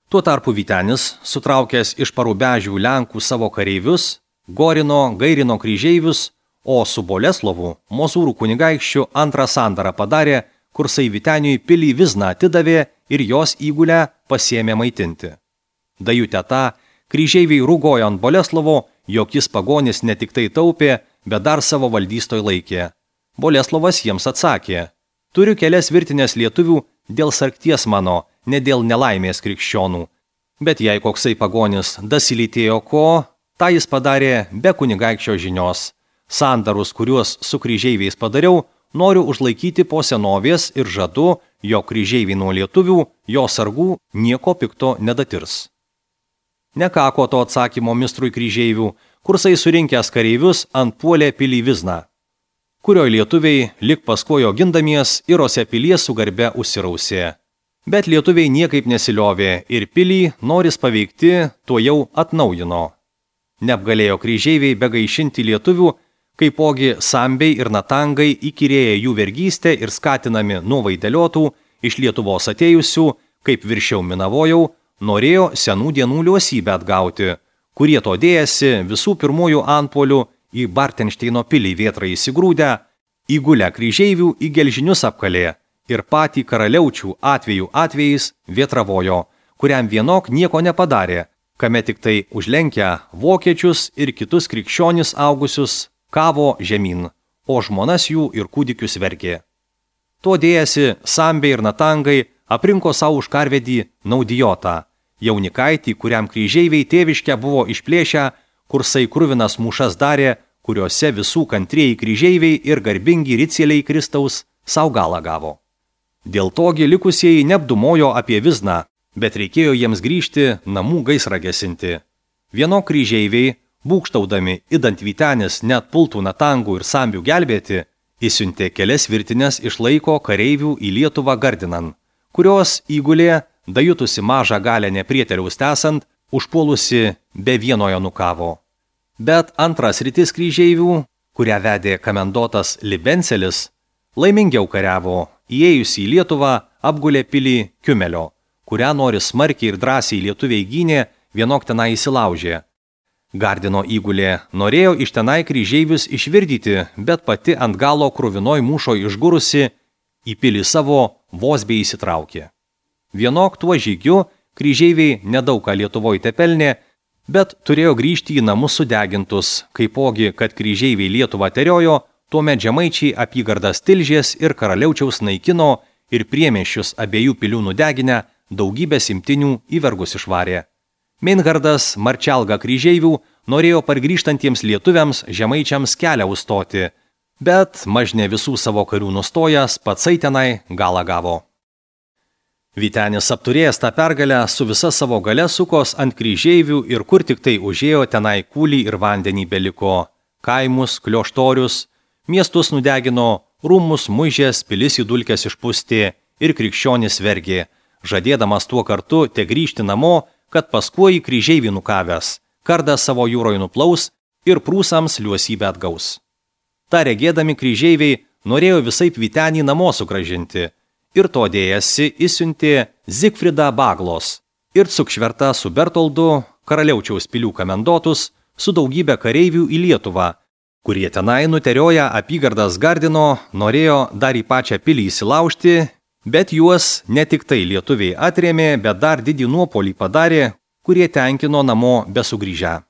Tuo tarpu Vytenis, sutraukęs iš Parubežių Lenkų savo kareivius, Gorino, Gairino kryžeivius, o su Boleslovu, Mozūrų kunigaikščiu antrą sandarą padarė, kursai Vyteniui pilį Vizną atidavė ir jos įgulę pasiėmė maitinti. Dajutę tą, kryžeiviai rūgojo ant Boleslovo, jog jis pagonis ne tik tai taupė, bet dar savo valdystoj laikė. Boleslovas jiems atsakė: turiu kelias virtinės lietuvių dėl sarkties mano, ne dėl nelaimės krikščionų. Bet jei koksai pagonis dasilytėjo ko, tą jis padarė be kunigaikščio žinios. Sandarus, kuriuos su kryžeiviais padariau, noriu užlaikyti po senovės ir žadu, jog kryžeiviai nuo lietuvių, jo sargų nieko pikto nedatirs. Nekako to atsakymo mistrui kryžeivių, kursai surinkęs kareivius ant puolė pilį Vizną, kurio lietuviai lik paskojo gindamies ir ose pilies su garbe užsirausė. Bet lietuviai niekaip nesiliovė ir pilį, noris paveikti, tuo jau atnaujino. Neapgalėjo kryžeiviai begaišinti lietuvių, kaipogi Sambiai ir Natangai įkyrėję jų vergystę ir skatinami nuo vaideliotų, iš Lietuvos atėjusių, kaip viršiau minavojau, norėjo senų dienų liuosybę atgauti, kurie to dėjasi visų pirmųjų antpuolių į Bartenšteino pilį vėtrą įsigrūdę, įgulę kryžeivių į gelžinius apkalė ir patį karaliaučių atvejų atvejais vėtravojo, kuriam vienok nieko nepadarė, kame tik tai užlenkę vokiečius ir kitus krikščionis augusius kavo žemyn, o žmonas jų ir kūdikius verkė. To dėjasi Sambiai ir Natangai aprinko savo už karvedį Naudijotą, jaunikaitį, kuriam kryžeiviai tėviškę buvo išplėšę, kursai kruvinas mūšas darė, kuriuose visų kantrieji kryžeiviai ir garbingi ricieliai Kristaus sau galą gavo. Dėl togi likusieji neapdumojo apie Vizną, bet reikėjo jiems grįžti namų gaisrą gesinti. Vieno kryžeiviai, būkštaudami idant Vytenis net pultų Natangų ir Sambių gelbėti, įsiuntė kelias virtinės iš laiko kareivių į Lietuvą gardinan, kurios įgulė, dajutusi mažą galę neprieteliaus tesant, užpuolusi be vienojo nukavo. Bet antras rytis kryžeivių, kurią vedė komendotas Libencelis, laimingiau kariavo, įėjusi į Lietuvą apgulė pilį Kiumelio, kurią nori smarkiai ir drąsiai lietuviai gynė, vienok tenai įsilaužė. Gardino įgulė norėjo iš tenai kryžeivius išvirdyti, bet pati ant galo kruvinoj mūšo išgurusi į pilį savo vos bei įsitraukė. Vienok tuo žygiu kryžeiviai nedaug ką Lietuvoj tepelnė, bet turėjo grįžti į namus sudegintus, kaipogi, kad kryžeiviai Lietuvą teriojo, tuomet žemaičiai apygardas Tilžės ir Karaliaučiaus naikino ir priemiesčius abiejų pilių nudeginę daugybės imtinių į vergus išvarė. Meinhardas Marčelga kryžeivių norėjo pargrįžtantiems lietuviams žemaičiams kelią užstoti, bet mažne visų savo karių nustojęs patsai tenai galą gavo. Vytenis apturėjęs tą pergalę su visa savo gale sukos ant kryžeivių ir kur tik tai užėjo tenai kūlį ir vandenį beliko, kaimus, klioštorius, miestus nudegino, rūmus muižės, pilis į dulkes išpustė ir krikščionis vergė, žadėdamas tuo kartu te grįžti namo, kad paskui kryžeivį nukavęs, kardą savo jūroje nuplaus ir prūsams liuosybę atgaus. Ta regėdami kryžeiviai norėjo visaip Vytenį namo sugražinti ir to dėjasi įsiuntė Zigfridą Baglos ir Cukšvertą su Bertoldu, Karaliaučiaus pilių komendotus, su daugybė kareivių į Lietuvą, kurie tenai nuterioja apygardas gardino, norėjo dar į pačią pilį įsilaužti, bet juos ne tik tai lietuviai atrėmė, bet dar didį nuopolį padarė, kurie tenkino namo besugrįžę.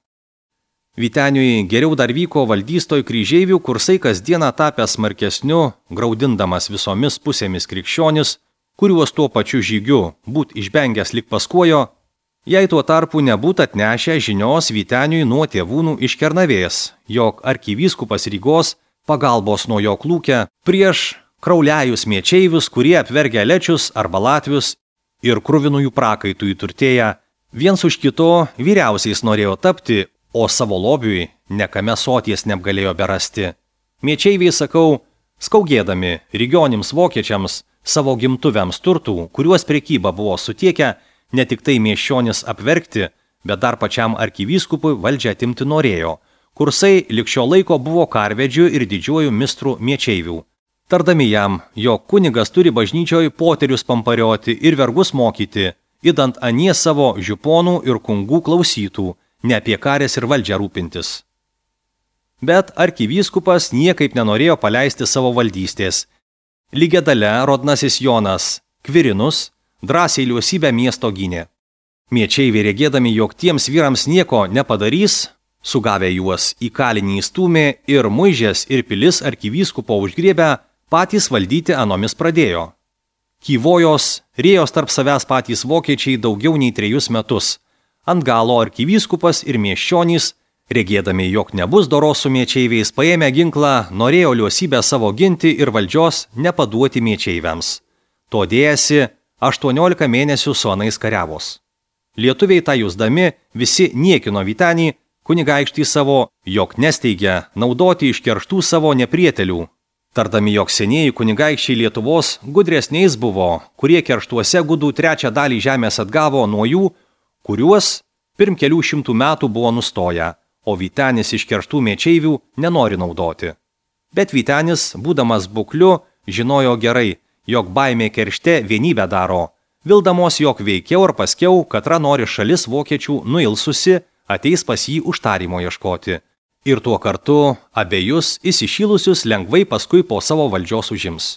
Vyteniui geriau dar vyko valdystoj kryžeivių, kursai kasdieną tapęs smarkesniu, graudindamas visomis pusėmis krikščionis, kuriuos tuo pačiu žygiu būt išbengęs lik paskuojo, Jei tuo tarpu nebūtų atnešę žinios Vyteniui nuo tėvūnų iš Kernavės, jog arkivyskupas Rygos pagalbos nuo jo klūkia prieš krauliajus miečeivius, kurie apvergia lečius arba latvius ir kruvinųjų prakaitų įturtėję, viens už kito vyriausiais norėjo tapti, o savo lobiui nekame soties neapgalėjo berasti. Miečeiviai, sakau, skaugėdami rygionims vokiečiams savo gimtuviams turtų, kuriuos prekyba buvo sutiekę, ne tik tai miesčionis apvergti, bet dar pačiam arkivyskupui valdžią atimti norėjo. Kursai lik šio laiko buvo karvedžių ir didžiuojų mistrų miečeivių. Tardami jam, jog kunigas turi bažnyčioj poterius pamparioti ir vergus mokyti, idant anie savo žiuponų ir kungų klausytų, ne apie karės ir valdžią rūpintis. Bet arkivyskupas niekaip nenorėjo paleisti savo valdystės. Lygia dale rodnasis Jonas Kvirinus drąsiai liuosybę miesto gynė. Miečeiviai regėdami, jog tiems vyrams nieko nepadarys, sugavę juos į kalinį įstūmė ir muižės ir pilis arkivyskupo užgriebę, patys valdyti anomis pradėjo. Kyvojos, rėjos tarp savęs patys vokiečiai daugiau nei trejus metus. Ant galo arkivyskupas ir miesčionys, regėdami, jog nebus doros su miečeiviais, paėmę ginklą, norėjo liuosybę savo ginti ir valdžios nepaduoti miečeiviams. To dėjasi aštuoniolika mėnesių su anais kariavos. Lietuviai tą jusdami visi niekino Vytenį, kunigaikštį savo, jog nesteigia naudoti iš kerštų savo neprietelių. Tardami, jog senieji kunigaikščiai Lietuvos gudresniais buvo, kurie kerštuose gudų trečią dalį žemės atgavo nuo jų, kuriuos pirm kelių šimtų metų buvo nustoję, o Vytenis iš kerštų miečeivių nenori naudoti. Bet Vytenis, būdamas bukliu, žinojo gerai, jog baimė keršte vienybę daro, vildamos, jog veikiau ar paskiau, katra nori šalis vokiečių nuilsusi, ateis pas jį užtarimo ieškoti. Ir tuo kartu abejus įsišylusius lengvai paskui po savo valdžios užims.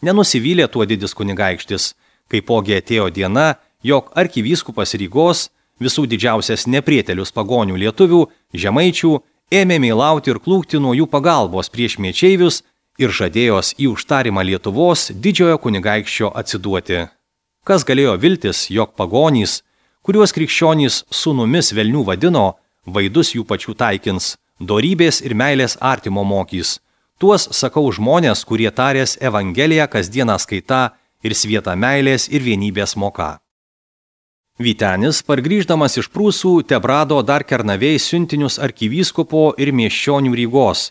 Nenusivylė tuo didis kunigaikštis, kaipogi atėjo diena, jog arkivyskupas Rygos, visų didžiausias neprietelius pagonių lietuvių, žemaičių, ėmė meilauti ir klūkti nuo jų pagalbos prieš miečeivius ir žadėjos į užtarimą Lietuvos didžiojo kunigaikščio atsiduoti. Kas galėjo viltis, jog pagonys, kuriuos krikščionys sūnumis velnių vadino, vaidus jų pačių taikins, dorybės ir meilės artimo mokys. Tuos sakau žmonės, kurie tarės Evangeliją kasdieną skaita ir svietą meilės ir vienybės moka. Vytenis, pargrįždamas iš Prūsų, tebrado dar Kernavėj siuntinius arkivyskupo ir miesčionių Rygos,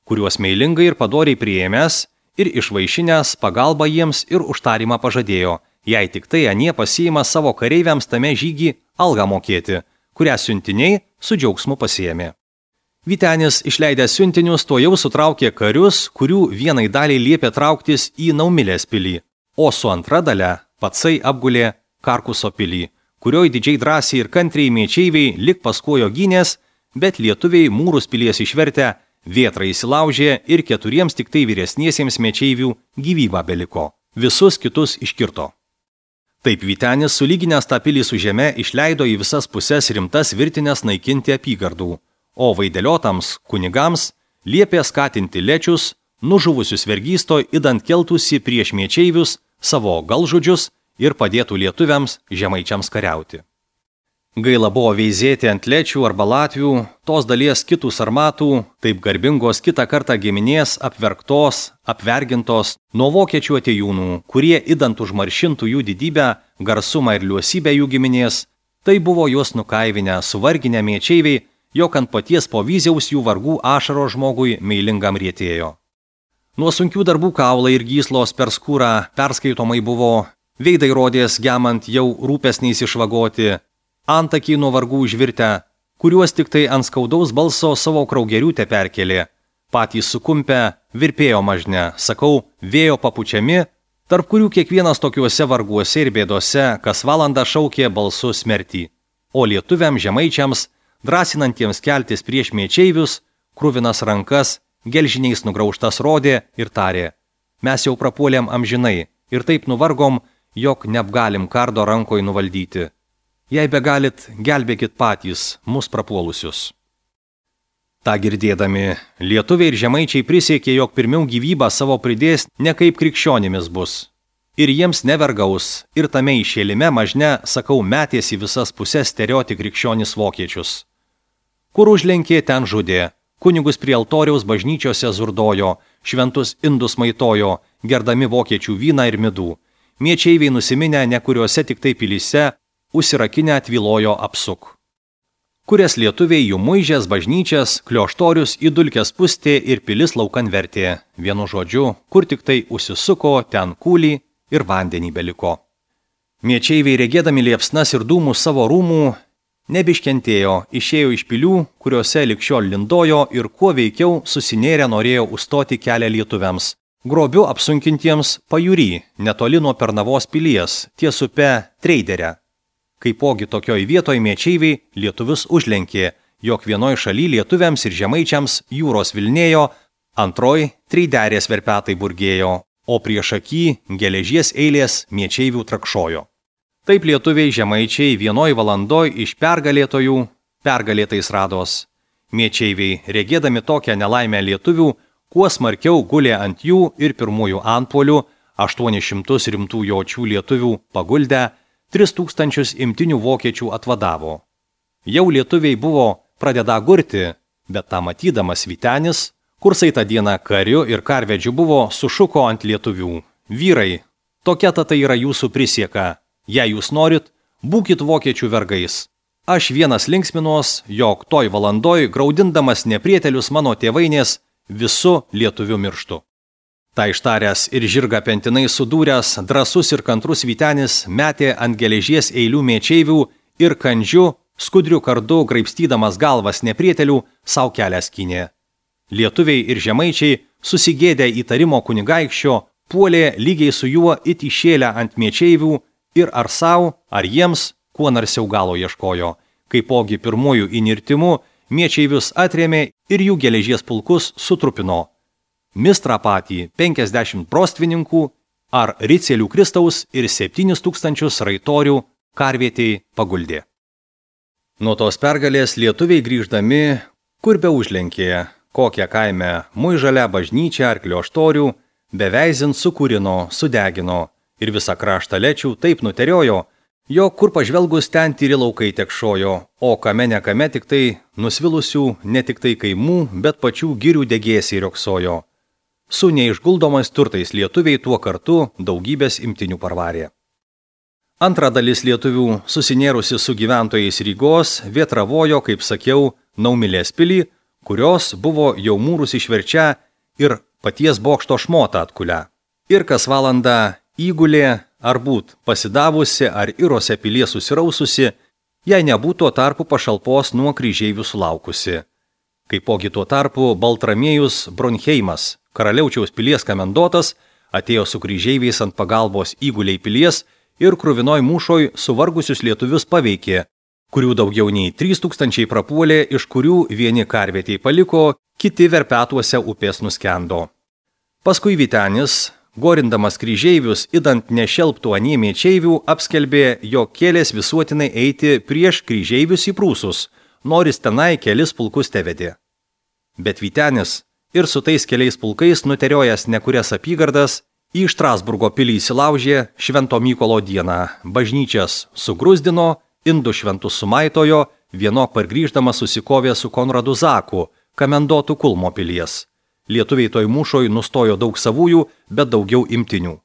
kuriuos meilingai ir padoriai priėmęs ir išvaišinęs pagalbą jiems ir užtarimą pažadėjo, jei tik tai anie pasiima savo kareiviams tame žygį algą mokėti, kurią siuntiniai su džiaugsmu pasiėmė. Vytenis, išleidęs siuntinius, to jau sutraukė karius, kurių vienai daliai liepė trauktis į Naumilės pilį, o su antra dalia patsai apgulė Karkuso pilį, kurioj didžiai drąsiai ir kantriai miečeiviai lik paskuojo gynės, bet lietuviai mūrus pilies išvertę, vėtrą įsilaužė ir keturiems tik tai vyresniesiems miečeivių gyvybą beliko. Visus kitus iškirto. Taip Vytenis, sulyginęs tą pilį su žeme, išleido į visas puses rimtas virtinės naikinti apygardų, o vaideliotams kunigams liepė skatinti lečius, nužuvusius vergysto, idant keltųsi prieš miečeivius savo galžudžius ir padėtų lietuviams žemaičiams kariauti. Gaila buvo veizėti ant lečių arba latvių, tos dalies kitų sarmatų, taip garbingos kitą kartą giminės apverktos, apvergintos nuo vokiečių atėjūnų, kurie idant užmaršintų jų didybę, garsumą ir liuosybę jų giminės, tai buvo juos nukaivinę, suvarginę miečeiviai, jog ant paties po vyziaus jų vargų ašaro žmogui meilingam rietėjo. Nuo sunkių darbų kaulai ir gyslos per skūrą perskaitomai buvo, veidai rodės gemant jau rūpesniais išvagoti, antakiai nuo vargų užvirtę, kuriuos tik tai ant skaudaus balso savo kraugerių te perkelė, patys sukumpę, virpėjo mažne, sakau, vėjo papučiami, tarp kurių kiekvienas tokiuose varguose ir bėdose kas valandą šaukė balsu smertį, o lietuviam žemaičiams, drąsinantiems keltis prieš miečeivius, kruvinas rankas, gelžiniais nugraužtas rodė ir tarė, mes jau prapuolėm amžinai ir taip nuvargom, jog neapgalim kardo rankoj nuvaldyti. Jei begalit, gelbėkit patys mus prapuolusius. Ta girdėdami, lietuviai ir žemaičiai prisiekė, jog pirmiau gyvybą savo pridės ne kaip krikščionimis bus. Ir jiems nevergaus, ir tame išėlime mažne, sakau, metės į visas pusės sterioti krikščionis vokiečius. Kur užlenkė, ten žudė, kunigus prie altoriaus bažnyčiose zurdojo, šventus indus maitojo, gerdami vokiečių vyną ir midų. Miečeiviai nusiminę nekuriuose tik tai pilyse, užsirakinę tvilojo apsuk. Kurias lietuviai jų muižės, bažnyčias, klioštorius į dulkes pustė ir pilis laukan vertė. Vienu žodžiu, kur tik tai užsisuko, ten kūlį ir vandenį beliko. Miečeiviai regėdami liepsnas ir dūmus savo rūmų nebiškentėjo, išėjo iš pilių, kuriuose likščiol lindojo ir kuo veikiau susinėrę norėjo užstoti kelią lietuviams. Grobiu apsunkintiems pajūry, netoli nuo Pernavos pilies, ties upe Treiderę. Kaipogi tokioj vietoj miečeiviai lietuvius užlenkė, jog vienoj šaly lietuviams ir žemaičiams jūros vilnėjo, antroj Treiderės verpetai burgėjo, o prieš akį geležies eilės miečeivių trakšojo. Taip lietuviai žemaičiai vienoj valandoj iš pergalėtojų pergalėtais rados. Miečeiviai, regėdami tokią nelaimę lietuvių, kuo smarkiau gulė ant jų ir pirmųjų antpuolių, aštuonis šimtus rimtų jočių lietuvių paguldę, tris tūkstančius imtinių vokiečių atvadavo. Jau lietuviai buvo pradeda gurti, bet tą matydamas Vytenis, kursai tą dieną kariu ir karvedžiu buvo, sušuko ant lietuvių. Vyrai, tokia ta tai yra jūsų prisieka. Jei jūs norit, būkit vokiečių vergais. Aš vienas linksminuos, jog toj valandoj, graudindamas neprietelius mano tėvainės, visu lietuviu mirštu. Ta ištaręs ir žirgą pentinai sudūręs, drasus ir kantrus Vytenis metė ant geležies eilių miečeivių ir kandžiu, skudriu kardu, graibstydamas galvas neprietelių, savo kelią skynė. Lietuviai ir žemaičiai, susigėdę įtarimo kunigaikščio, puolė lygiai su juo it išėlę ant miečeivių ir ar savo, ar jiems, kuo narsiau galo ieškojo. Kaipogi pirmųjų įnirtimu miečeivius atrėmė ir jų geležies pulkus sutrupino. Mistrą patį penkiasdešimt prostvininkų ar ricelių Kristaus ir septynis tūkstančius raitorių karvietei paguldė. Nuo tos pergalės lietuviai grįždami, kur be užlenkė, kokią kaime muižalę bažnyčią ar klioštorių, beveizint sukūrino, sudegino ir visą kraštą lečių taip nuteriojo, jog kur pažvelgus ten tyri laukai tekšojo, o kame ne kame tik tai nusvilusių ne tik tai kaimų, bet pačių girių degėsiai rioksojo. Su neišguldomais turtais lietuviai tuo kartu daugybės imtinių parvarė. Antra dalis lietuvių, susinėrusi su gyventojais Rygos, vietravojo, kaip sakiau, Naumilės pilį, kurios buvo jau mūrus išverčia ir paties bokšto šmotą atkulia. Ir kas valandą įgulė, ar būt pasidavusi, ar irose pilies susiraususi, jei nebūtų tarpu pašalpos nuo kryžeivių sulaukusi. Kaipogi tuo tarpu Baltramiejus Bronheimas, karaliaučiaus pilies komendotas, atėjo su kryžeiviais ant pagalbos įguliai pilies ir kruvinoj mūšoj suvargusius lietuvius paveikė, kurių daugiau nei trys tūkstančiai prapuolė, iš kurių vieni karvietei paliko, kiti verpetuose upės nuskendo. Paskui Vytenis, gorindamas kryžeivius, idant nešelptų anie miečeivių, apskelbė, jog kėlės visuotinai eiti prieš kryžeivius į Prūsus, noris tenai kelis pulkus tevedė. Bet Vytenis ir su tais keliais pulkais nuteriojęs nekurias apygardas, į Štrasburgo pilį įsilaužė Švento Mykolo dieną, bažnyčias sugrūzdino, indų šventus sumaitojo, vienok pargrįždamas susikovė su Konradu Zaku, komendotu Kulmo pilies. Lietuviai toj mūšoj nustojo daug savųjų, bet daugiau imtinių.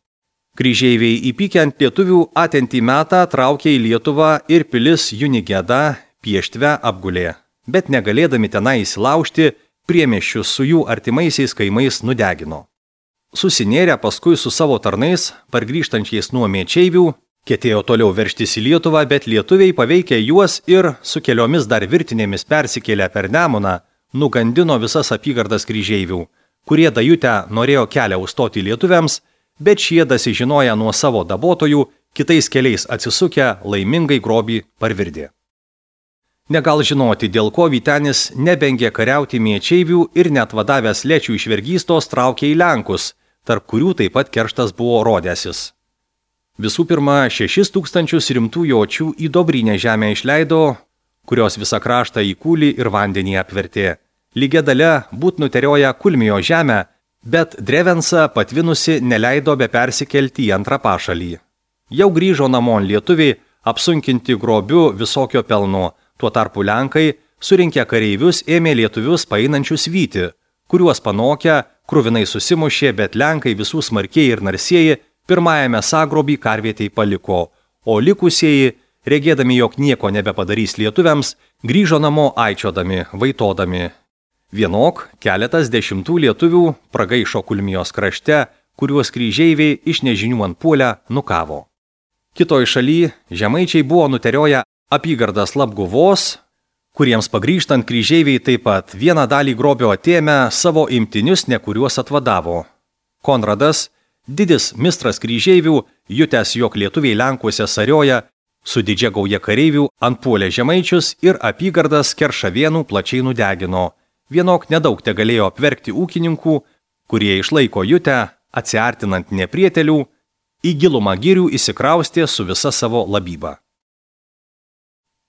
Kryžeiviai įpykę ant lietuvių atentį metą traukė į Lietuvą ir pilis Junigeda Pieštve apgulė, bet negalėdami tenai įsilaužti, priemiesčius su jų artimaisiais kaimais nudegino. Susinėrę paskui su savo tarnais, pargrįžtančiais nuo miečeivių, ketėjo toliau veržtis į Lietuvą, bet lietuviai paveikė juos ir su keliomis dar virtinėmis persikėlę per Nemuną, nugandino visas apygardas kryžeivių, kurie dajutę norėjo kelią užstoti lietuviams, bet šie dasižinoję nuo savo dabotojų, kitais keliais atsisukę laimingai grobį parvirdė. Negal žinoti, dėl ko Vytenis nebengė kariauti miečeivių ir net vadavęs lečių iš vergystos traukė į Lenkus, tarp kurių taip pat kerštas buvo rodęsis. Visų pirma, šešis tūkstančius rimtų jočių į Dobrinę žemę išleido, kurios visą kraštą į kūlį ir vandenį apvertė. Lygia dalia būt nuterioja Kulmijo žemę, Bet Drevensa patvinusi neleido be persikelti į antrą pašalį. Jau grįžo namon lietuviai, apsunkinti grobiu visokio pelno, tuo tarpu Lenkai, surinkę kareivius, ėmė lietuvius paeinančius vyti, kuriuos panokę, kruvinai susimušė, bet Lenkai visų smarkieji ir narsieji pirmajame sagrobį karvietei paliko, o likusieji, regėdami, jog nieko nebepadarys lietuviams, grįžo namo aičiodami, vaitodami. Vienok keletas dešimtų lietuvių pragaišo Kulmijos krašte, kuriuos kryžeiviai iš nežinių ant puolę nukavo. Kitoj šaly žemaičiai buvo nuterioję apygardas Labguvos, kuriems pagrįžtant kryžeiviai taip pat vieną dalį grobio atėmę savo imtinius, ne kuriuos atvadavo. Konradas, didis mistras kryžeivių, jutęs, jog lietuviai Lenkuose sarioja, su didžia gauja kareivių antpuolė žemaičius ir apygardas Keršavienų plačiai nudegino. Vienok nedaug te galėjo apverkti ūkininkų, kurie išlaiko jutę, atsiartinant neprietelių, į gilumą girių įsikraustė su visa savo labyba.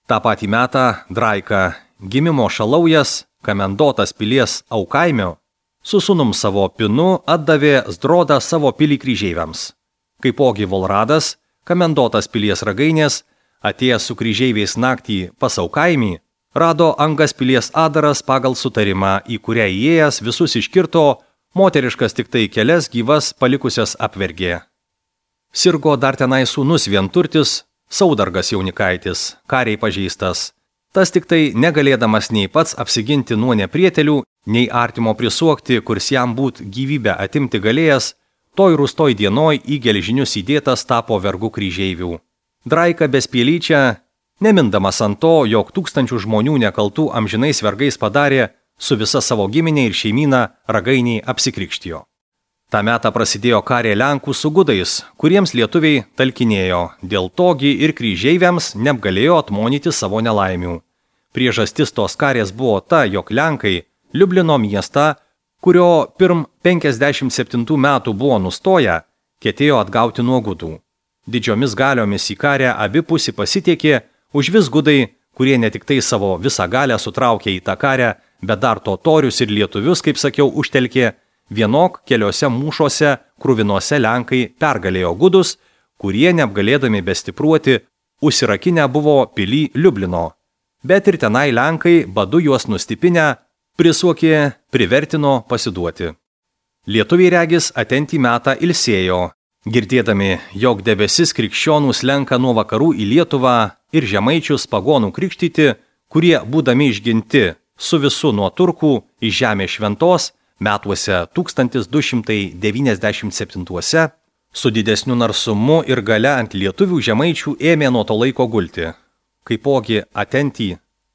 Ta patį metą Draika, gimimo šalaujas, Kamendotas pilies Aukaimio, su sūnum savo Pinu atdavė Zdrodą savo pilį kryžeiviams. Kaipogi Volradas, Kamendotas pilies ragainės, atėjęs su kryžeiviais naktį pas Aukaimį, rado Angas pilies adaras pagal sutarimą, į kurią įėjęs visus iškirto, moteriškas tik tai kelias gyvas palikusias apvergė. Sirgo dar tenai sūnus vienturtis, Saudargas jaunikaitis, kariai pažeistas. Tas tik tai negalėdamas nei pats apsiginti nuo neprietelių, nei artimo prisuokti, kurs jam būt gyvybę atimti galėjęs, toj rūstoj dienoj į gelžinius įdėtas tapo vergu kryžeivių. Draika bespielyčia, nemindamas ant to, jog tūkstančių žmonių nekaltų amžinais vergais padarė, su visa savo giminė ir šeimyna ragainiai apsikrikštijo. Ta metą prasidėjo karė Lenkų su gudais, kuriems lietuviai talkinėjo, dėl togi ir kryžeiviams neapgalėjo atmonyti savo nelaimių. Priežastis tos karės buvo ta, jog Lenkai Liublino miestą, kurio pirm penkiasdešimt septintų metų buvo nustoję, ketėjo atgauti nuo gudų. Didžiomis galiomis į karę abipusį pasitiekė, už vis gudai, kurie ne tik tai savo visą galę sutraukė į tą karę, bet dar totorius ir lietuvius, kaip sakiau, užtelkė, vienok keliose mūšuose kruvinose Lenkai pergalėjo gudus, kurie neapgalėdami bestipruoti, užsirakinę buvo pilį Liublino. Bet ir tenai Lenkai, badu juos nustipinę, prisuokė, privertino pasiduoti. Lietuviai regis atentį metą ilsėjo, girdėdami, jog debesis krikščionų slenka nuo vakarų į Lietuvą ir žemaičius pagonų krikštyti, kurie, būdami išginti su visu nuo turkų iš žemės šventos, metuose tūkstantis du šimtai devyniasdešimt septintuose, su didesniu narsumu ir gale ant lietuvių žemaičių ėmė nuo to laiko gulti. Kaipogi atentį,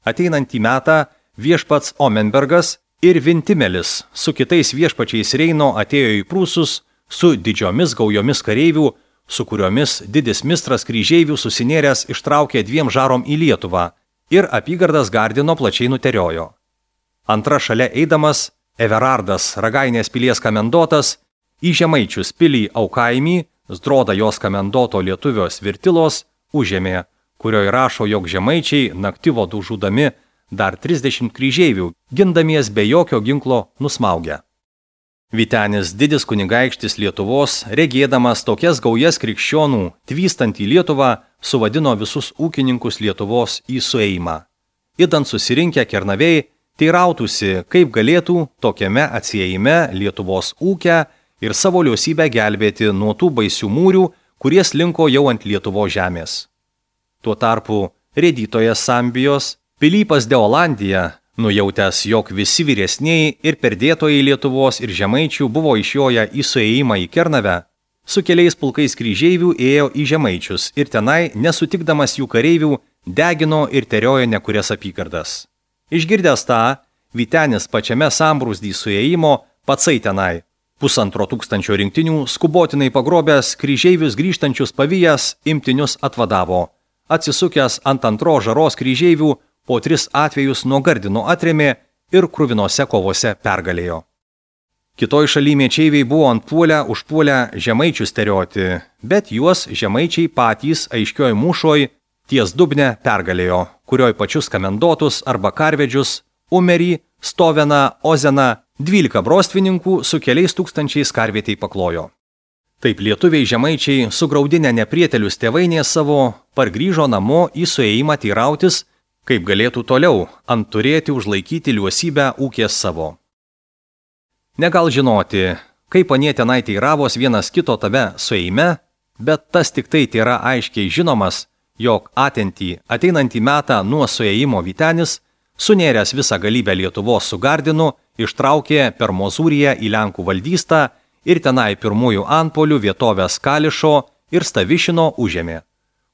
ateinantį metą viešpats Omenbergas ir Vintimelis su kitais viešpačiais Reino atėjo į Prūsus su didžiomis gaujomis kareivių, su kuriomis didis mistras kryžeivių susinėręs ištraukė dviem žarom į Lietuvą ir apygardas Gardino plačiai nuteriojo. Antra šalia eidamas, Everardas, Ragainės pilies Kamendotas, į žemaičius pilį Aukaimį, Zdrodą jos Kamendoto lietuvio Svirtilos, užėmė, kurioje rašo, jog žemaičiai naktivodų žudami dar trisdešimt kryžeivių, gindamies be jokio ginklo nusmaugę. Vytenis didis kunigaikštis Lietuvos, regėdamas tokias gaujas krikščionų, tvystant į Lietuvą, suvadino visus ūkininkus Lietuvos į suėjimą. Idant susirinkę kernavėjai, teirautųsi, kaip galėtų tokiame atsiejime Lietuvos ūkę ir savo liosybę gelbėti nuo tų baisių mūrių, kurie slinko jau ant Lietuvos žemės. Tuo tarpu rėdytojas Sambijos, Pilypas de Olandija, nujautęs, jog visi vyresnieji ir perdėtojai Lietuvos ir žemaičių buvo išjoję į suėjimą į Kernavę, su keliais pulkais kryžeivių ėjo į žemaičius ir tenai, nesutikdamas jų kareivių, degino ir teriojo nekurias apygardas. Išgirdęs tą, Vytenis pačiame sambrūzdį suėjimo patsai tenai, pusantro tūkstančio rinktinių skubotinai pagrobęs kryžeivius grįžtančius pavijas imtinius atvadavo. Atsisukęs ant antro žaros kryžeivių, po tris atvejus nuo Gardino atrėmė ir kruvinose kovose pergalėjo. Kitoj šaly mečeiviai buvo antpuolę užpuolę žemaičius terioti, bet juos žemaičiai patys aiškioj mūšoj ties Dubne pergalėjo, kurioj pačius Kamendotus arba karvedžius Umerį, Stoveną, Ozeną, dvylika brostvininkų su keliais tūkstančiais karvietei paklojo. Taip lietuviai žemaičiai, sugraudinę neprietelius tėvainės savo, pargrįžo namo į suėjimą teirautis, kaip galėtų toliau ant turėti užlaikyti liuosybę ūkės savo. Negal žinoti, kaip anie tenai teiravos vienas kito tave suėjime, bet tas tik tai tėra aiškiai žinomas, jog atentį ateinantį metą nuo suėjimo Vytenis, sunėręs visą galybę Lietuvos su Gardinu, ištraukė per Mozūriją į Lenkų valdystą ir tenai pirmųjų antpolių vietovės Kališo ir Stavišino užėmė,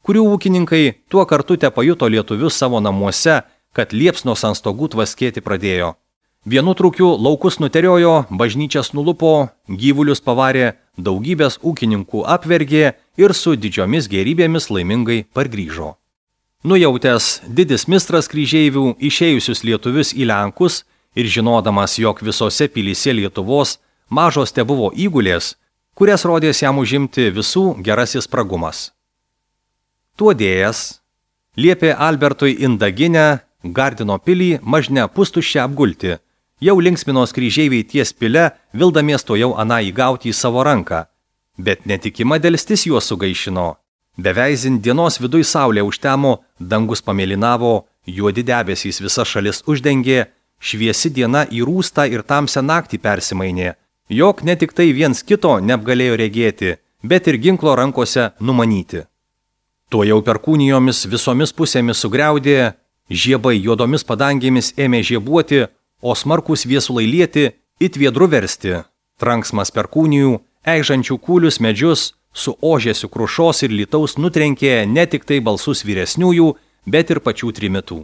kurių ūkininkai tuo kartu te pajuto lietuvius savo namuose, kad liepsnos ant stogų tvaskėti pradėjo. Vienu trūkiu laukus nuteriojo, bažnyčias nulupo, gyvulius pavarė, daugybės ūkininkų apvergė ir su didžiomis gėrybėmis laimingai pargrįžo. Nujautęs didis mistras kryžeivių išėjusius lietuvius į Lenkus ir žinodamas, jog visose pilyse Lietuvos mažos te buvo įgulės, kurias rodės jam užimti visų gerasis pragumas. Tuo dėjęs liepė Albertui Indaginę Gardino pilį mažne pustuščią apgulti, jau linksminos kryžeiviai ties pile, vildamies to jau aną įgauti į savo ranką, bet netikima delstis juos sugaišino. Beveizint dienos viduj saulė užtemo, dangus pamėlynavo, juodi debesys visa šalis uždengė, šviesi diena į rūstą ir tamsią naktį persimainė, jog ne tik tai viens kito neapgalėjo regėti, bet ir ginklo rankose numanyti. Tuo jau perkūnijomis visomis pusėmis sugriaudė, žiebai juodomis padangėmis ėmė žiebuoti, o smarkus viesulai lieti, it viedru versti, tranksmas perkūnijų, eižančių kūlius medžius, su ožėsiu krušos ir lytaus nutrenkė ne tik tai balsus vyresniųjų, bet ir pačių trimitų.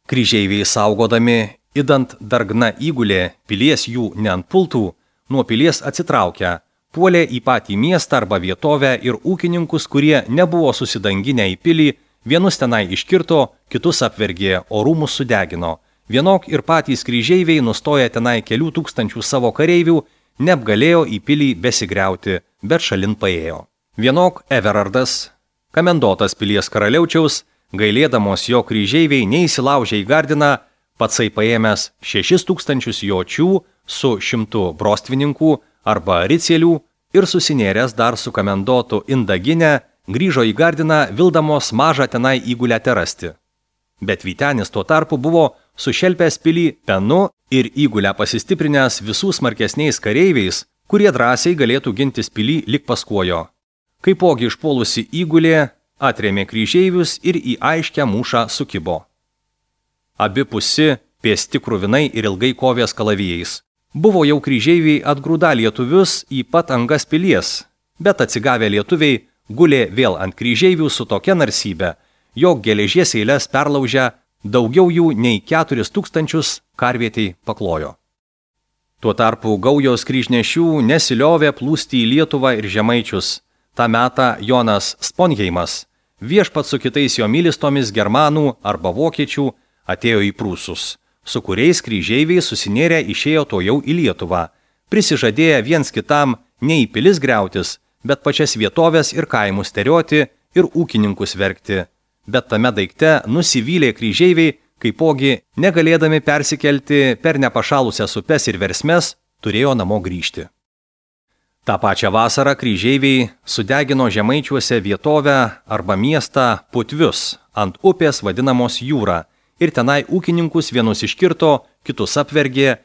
Kryžeiviai saugodami, idant dargna įgulė, pilies jų neantpultų, nuo pilies atsitraukę, puolė į patį miestą arba vietovę ir ūkininkus, kurie nebuvo susidanginę į pilį, vienus tenai iškirto, kitus apvergė, o rūmus sudegino. Vienok ir patys kryžeiviai nustoja tenai kelių tūkstančių savo kareivių, neapgalėjo į pilį besigriauti, bet šalin paėjo. Vienok Everardas, kamendotas pilies karaliaučiaus, gailėdamos jo kryžeiviai neįsilaužė į Gardiną, patsai paėmęs šešis tūkstančius jočių su šimtu brostvininkų arba ricielių ir susinėręs dar su kamendotu Indaginę, grįžo į Gardiną, vildamos mažą tenai įgulę terasti. Bet Vytenis tuo tarpu buvo sušelpęs pilį penu ir įgulę pasistiprinęs visų smarkesniais kareiviais, kurie drąsiai galėtų gintis pilį lik paskuojo. Kaipogi išpuolusi įgulė atrėmė kryžeivius ir į aiškę mūšą sukibo. Abi pusi pėsti kruvinai ir ilgai kovės kalavijais. Buvo jau kryžeiviai atgrūda lietuvius į pat angas pilies, bet atsigavę lietuviai gulė vėl ant kryžeivių su tokia narsybė, jog geležies eilės perlaužę daugiau jų nei keturis tūkstančius karvietei paklojo. Tuo tarpu gaujos kryžnešių nesiliovė plūsti į Lietuvą ir žemaičius. Ta metą Jonas Sponheimas, viešpat su kitais jo mylistomis germanų arba vokiečių, atėjo į Prūsus, su kuriais kryžeiviai susinėrę išėjo to jau į Lietuvą, prisižadėję viens kitam ne į pilis griautis, bet pačias vietovės ir kaimus terioti ir ūkininkus verkti. Bet tame daikte nusivylė kryžeiviai, kaipogi negalėdami persikelti per nepašalusias upes ir versmes, turėjo namo grįžti. Ta pačią vasarą kryžeiviai sudegino žemaičiuose vietovę arba miestą Putvius ant upės vadinamos Jūra ir tenai ūkininkus vienus iškirto, kitus apvergė,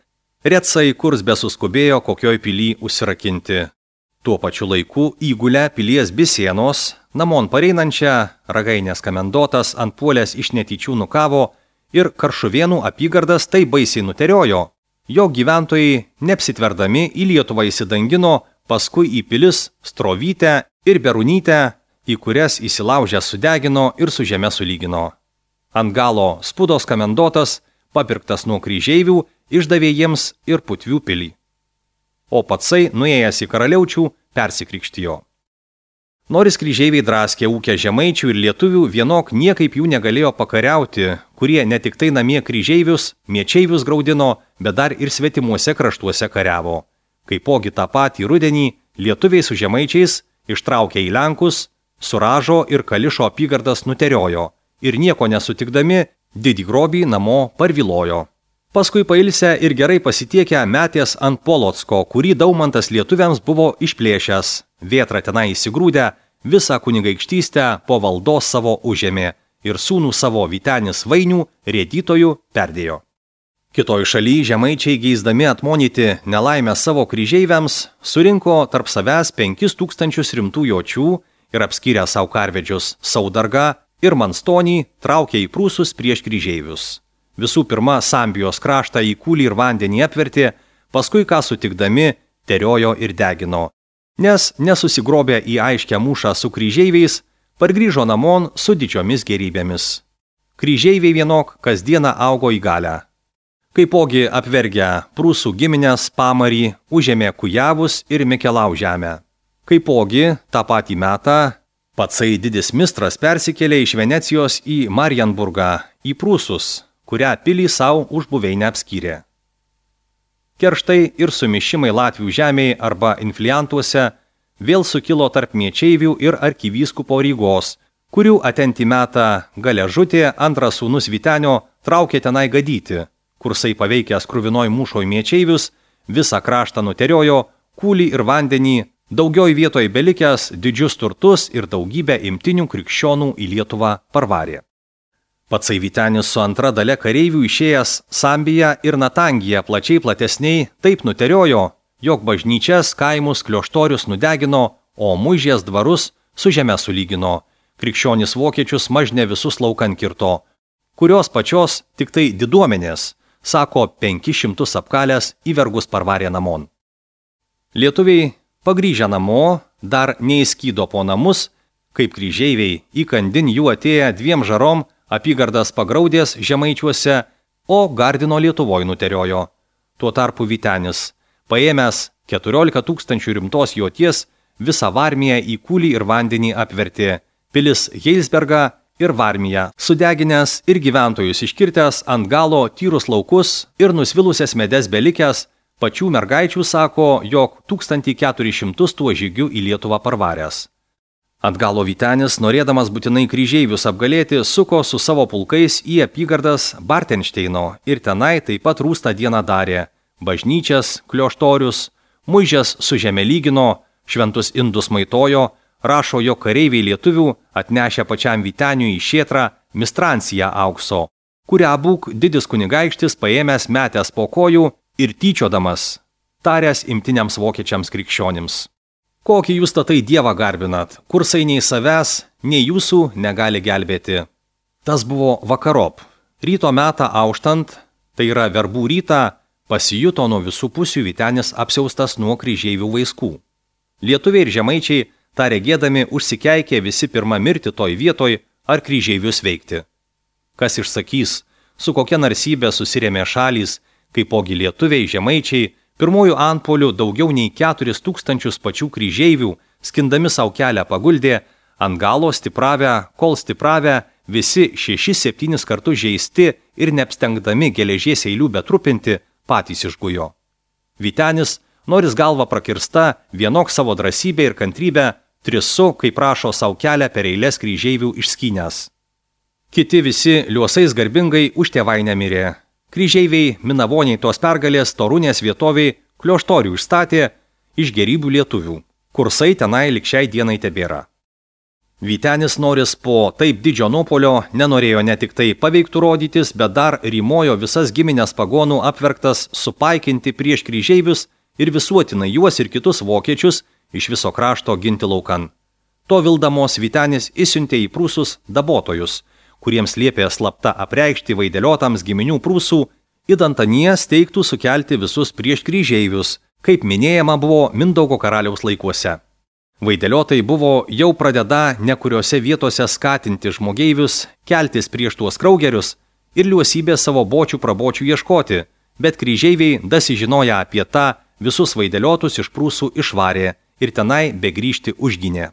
retsai kurs besuskubėjo kokioj pily užsirakinti. Tuo pačiu laiku įgulę pilies Bisienos, namon pareinančią, Ragainės kamendotas ant puolės iš netyčių nukavo ir Karšuvėnų apygardas tai baisiai nuteriojo, jo gyventojai neapsitverdami į Lietuvą įsidangino, paskui į pilis Strovytę ir Berunytę, į kurias įsilaužę sudegino ir su žeme sulygino. Ant galo Spudos kamendotas, papirktas nuo kryžeivių, išdavė jiems ir Putvių pilį. O patsai, nuėjęs į karaliaučių, persikrikštijo. Noris kryžeiviai draskė ūkę žemaičių ir lietuvių, vienok niekaip jų negalėjo pakariauti, kurie ne tik tai namie kryžeivius, miečeivius graudino, bet dar ir svetimuose kraštuose kariavo. Kaipogi tą patį rudenį lietuviai su žemaičiais ištraukė į Lenkus, Suražo ir Kališo apygardas nuteriojo ir nieko nesutikdami didį grobį namo parvilojo. Paskui pailsę ir gerai pasitiekę metės ant Polocko, kurį Daumantas lietuviams buvo išplėšęs. Vėtra tenai įsigrūdę, visą kunigaikštystę po valdos savo užėmė ir sūnų savo Vytenis Vainių rėdytojų perdėjo. Kitoj šaly žemaičiai geisdami atmonyti nelaimę savo kryžeiviams surinko tarp savęs penkis tūkstančius rimtų jočių ir apskyrę savo karvedžius Saudargą ir Manstonį traukė į prūsus prieš kryžeivius. Visų pirma, Sambijos kraštą į kūlį ir vandenį apvertė, paskui ką sutikdami teriojo ir degino. Nes nesusigrobė į aiškę mūšą su kryžeiviais, pargrįžo namon su didžiomis gerybėmis. Kryžeiviai vienok kasdieną augo į galę. Kaipogi apvergę prūsų giminės Pamarį, užėmė Kujavus ir Mikelau žemę. Kaipogi tą patį metą patsai didis mistras persikėlė iš Venecijos į Marienburgą, į prūsus, kurią pilį savo už buveinę apskyrė. Kerštai ir sumišimai Latvių žemėje arba infliantuose vėl sukilo tarp miečeivių ir arkivyskupo Rygos, kurių atenti metą Galežutė antras sūnus Vytenio traukė tenai gadyti. Kursai paveikęs kruvinoj mūšoj miečeivius, visą kraštą nuteriojo, kūlį ir vandenį, daugioj vietoj belikęs didžius turtus ir daugybę imtinių krikščionų į Lietuvą parvarė. Patsai Vytenis su antra dalia kareivių išėjęs Sambiją ir Natangiją plačiai platesniai taip nuteriojo, jog bažnyčias, kaimus, klioštorius nudegino, o muižės dvarus su žeme sulygino. Krikščionis vokiečius mažne visus laukan kirto, kurios pačios tik tai diduomenės, sako penkis šimtus apkalęs į vergus parvarė namon. Lietuviai pagrįžę namo dar neįskydo po namus, kaip kryžeiviai įkandin jų atėję dviem žarom apygardas pagraudės žemaičiuose, o Gardino Lietuvoj nuteriojo. Tuo tarpu Vytenis, paėmęs keturiolika tūkstančių rimtos joties, visą Varmiją į kūlį ir vandenį apvertė, pilis Heilsbergą ir Varmiją, sudeginęs ir gyventojus iškirtęs ant galo tyrus laukus ir nusvilusias medes belikęs, pačių mergaičių sako, jog tūkstantį keturis šimtus tuo žygiu į Lietuvą parvaręs. Atgalo Vytenis, norėdamas būtinai kryžeivius apgalėti, suko su savo pulkais į apygardas Bartenšteino ir tenai taip pat rūstą dieną darė. Bažnyčias, klioštorius, muižės su žeme lygino, šventus indus maitojo, rašo, jo kareiviai lietuvių atnešę pačiam Vyteniui į šėtrą mistranciją aukso, kurią būk didis kunigaikštis paėmęs metęs po kojų ir tyčiodamas, taręs imtiniams vokiečiams krikščionims. Kokį jūs tatai Dievą garbinat, kursai nei savęs, nei jūsų negali gelbėti. Tas buvo vakarop. Ryto metą auštant, tai yra verbų rytą, pasijuto nuo visų pusių Vytenis apsiaustas nuo kryžeivių vaiskų. Lietuviai ir žemaičiai, tą regėdami, užsikeikė visi pirma mirti toj vietoj ar kryžeivius veikti. Kas išsakys, su kokia narsybė susirėmė šalys, kaipogi lietuviai, žemaičiai, pirmųjų antpolių daugiau nei keturis tūkstančius pačių kryžeivių, skindami savo kelią paguldė, ant galo stipravę, kol stipravę, visi šešis septynis kartus žeisti ir neapstengdami geležies eilių betrupinti, patys išgujo. Vytenis, noris galva prakirsta, vienok savo drąsybę ir kantrybę, trisu, kaip prašo savo kelią per eilės kryžeivių išskynęs. Kiti visi liuosais garbingai už tėvainę mirė. Kryžeiviai, minavoniai tos pergalės Torunės vietoviai klioštorių išstatė iš gerybių lietuvių. Kursai tenai lik šiai dienai tebėra. Vytenis noris po taip didžio nuopolio nenorėjo ne tik tai paveiktų rodytis, bet dar rymojo visas giminės pagonų apverktas supaikinti prieš kryžeivius ir visuotinai juos ir kitus vokiečius iš viso krašto ginti laukan. To vildamos Vytenis įsiuntė į prūsus dabotojus, kuriems liepė slapta apreikšti vaideliotams giminių prūsų, idant anie steigtų sukelti visus prieš kryžeivius, kaip minėjama buvo Mindaugo karaliaus laikuose. Vaideliotai buvo jau pradeda nekuriose vietose skatinti žmogeivius, keltis prieš tuos kraugerius ir liuosybę savo bočių prabočių ieškoti, bet kryžeiviai dasižinoję apie tą visus vaideliotus iš prūsų išvarė ir tenai begrįžti užginė.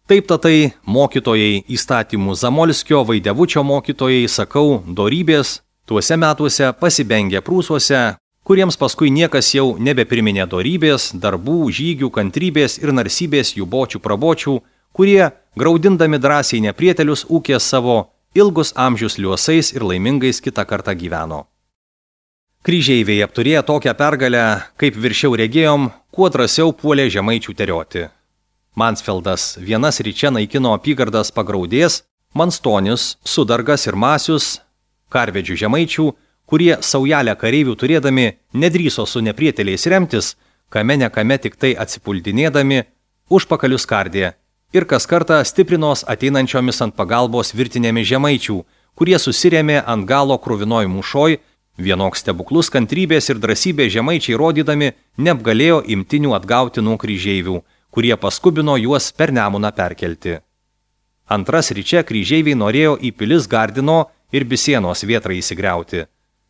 Taip tatai mokytojai įstatymų Zamolskio Vaidevučio mokytojai, sakau, dorybės, tuose metuose pasibengė prūsuose, kuriems paskui niekas jau nebepriminė dorybės, darbų, žygių, kantrybės ir narsybės jų bočių prabočių, kurie, graudindami drąsiai neprietelius ūkės savo, ilgus amžius liuosais ir laimingais kitą kartą gyveno. Kryžeiviai apturėję tokią pergalę, kaip viršiau regėjom, kuo drąsiau puolė žemaičių terioti. Mansfeldas vienas ryčia naikino apygardas Pagraudės, Manstonis, Sudargas ir Masius, karvedžių žemaičių, kurie saujelę kareivių turėdami nedrįso su neprieteliais remtis, kame ne kame tik tai atsipuldinėdami, užpakalius kardė ir kas kartą stiprinos ateinančiomis ant pagalbos virtinėmis žemaičių, kurie susirėmė ant galo kruvinoj mūšoj, vienoks stebuklus kantrybės ir drąsybės žemaičiai rodydami neapgalėjo imtinių atgauti nuo kryžeivių, kurie paskubino juos per Nemuną perkelti. Antras ryčia kryžeiviai norėjo į pilis Gardino ir Bisėnos vietrą įsigriauti,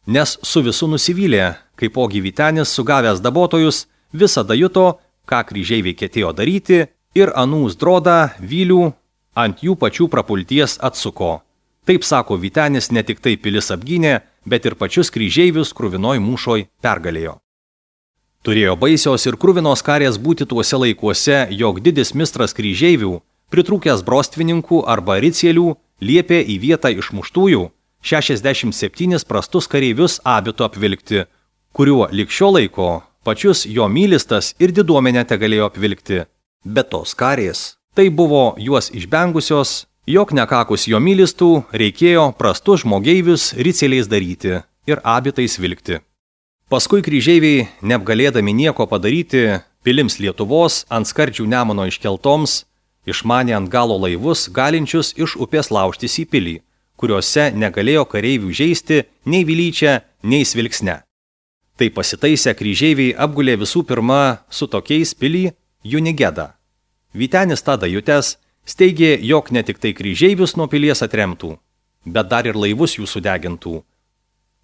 nes su visu nusivylė, kaipogi Vytenis sugavęs dabotojus visada juto, ką kryžeiviai ketėjo daryti ir anų Zdrodą, Vylių ant jų pačių prapulties atsuko. Taip sako Vytenis ne tik tai pilis apgynė, bet ir pačius kryžeivius kruvinoj mūšoj pergalėjo. Turėjo baisios ir kruvinos karės būti tuose laikuose, jog didis mistras kryžeivių, pritrūkęs brostvininkų arba ricielių, liepė į vietą išmuštųjų šešiasdešimt septynis prastus kareivius abitu apvilkti, kuriuo lig šio laiko pačius jo mylistas ir diduomenę tegalėjo apvilkti. Bet tos karės, tai buvo juos išbengusios, jog nekakus jo mylistų reikėjo prastus žmogeivius riceliais daryti ir abitais vilkti. Paskui kryžeiviai, neapgalėdami nieko padaryti, pilims Lietuvos ant skardžių Nemuno iškeltoms, išmanė ant galo laivus, galinčius iš upės laužtis į pilį, kuriuose negalėjo kareivių žeisti nei Vilyčia, nei Svilksne. Tai pasitaisę kryžeiviai apgulė visų pirma su tokiais pilį Junigedą. Vytenis tada jutęs steigė, jog ne tik tai kryžeivius nuo pilies atremtų, bet dar ir laivus jų sudegintų.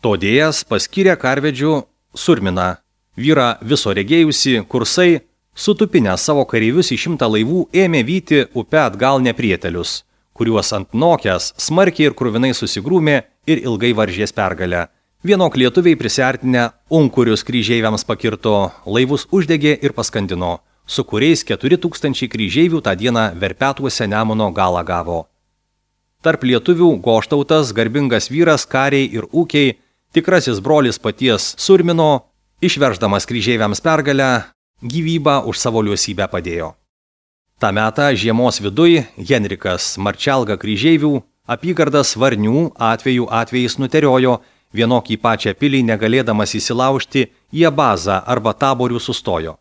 Todėjas paskyrė karvedžių Surminą, vyrą viso regėjusi, kursai, sutupinę savo kareivius į šimtą laivų, ėmė vyti upę atgal neprietelius, kuriuos ant nokės smarkiai ir kruvinai susigrūmė ir ilgai varžės pergalę. Vienok lietuviai prisiartinę unkurius kryžeiviams pakirto, laivus uždegė ir paskandino, su kuriais keturi tūkstančiai kryžeivių tą dieną Verpetuose Nemuno galą gavo. Tarp lietuvių Goštautas, garbingas vyras, kariai ir ūkiai, tikrasis brolis paties Surmino, išverždamas kryžeiviams pergalę, gyvybą už savo liuosybę padėjo. Ta metą žiemos viduj Henrikas Marčelga kryžeivių apygardas Varnių atveju atvejais nuteriojo, vienok į pačią pilį negalėdamas įsilaužti į Abazą arba Taborių sustojo.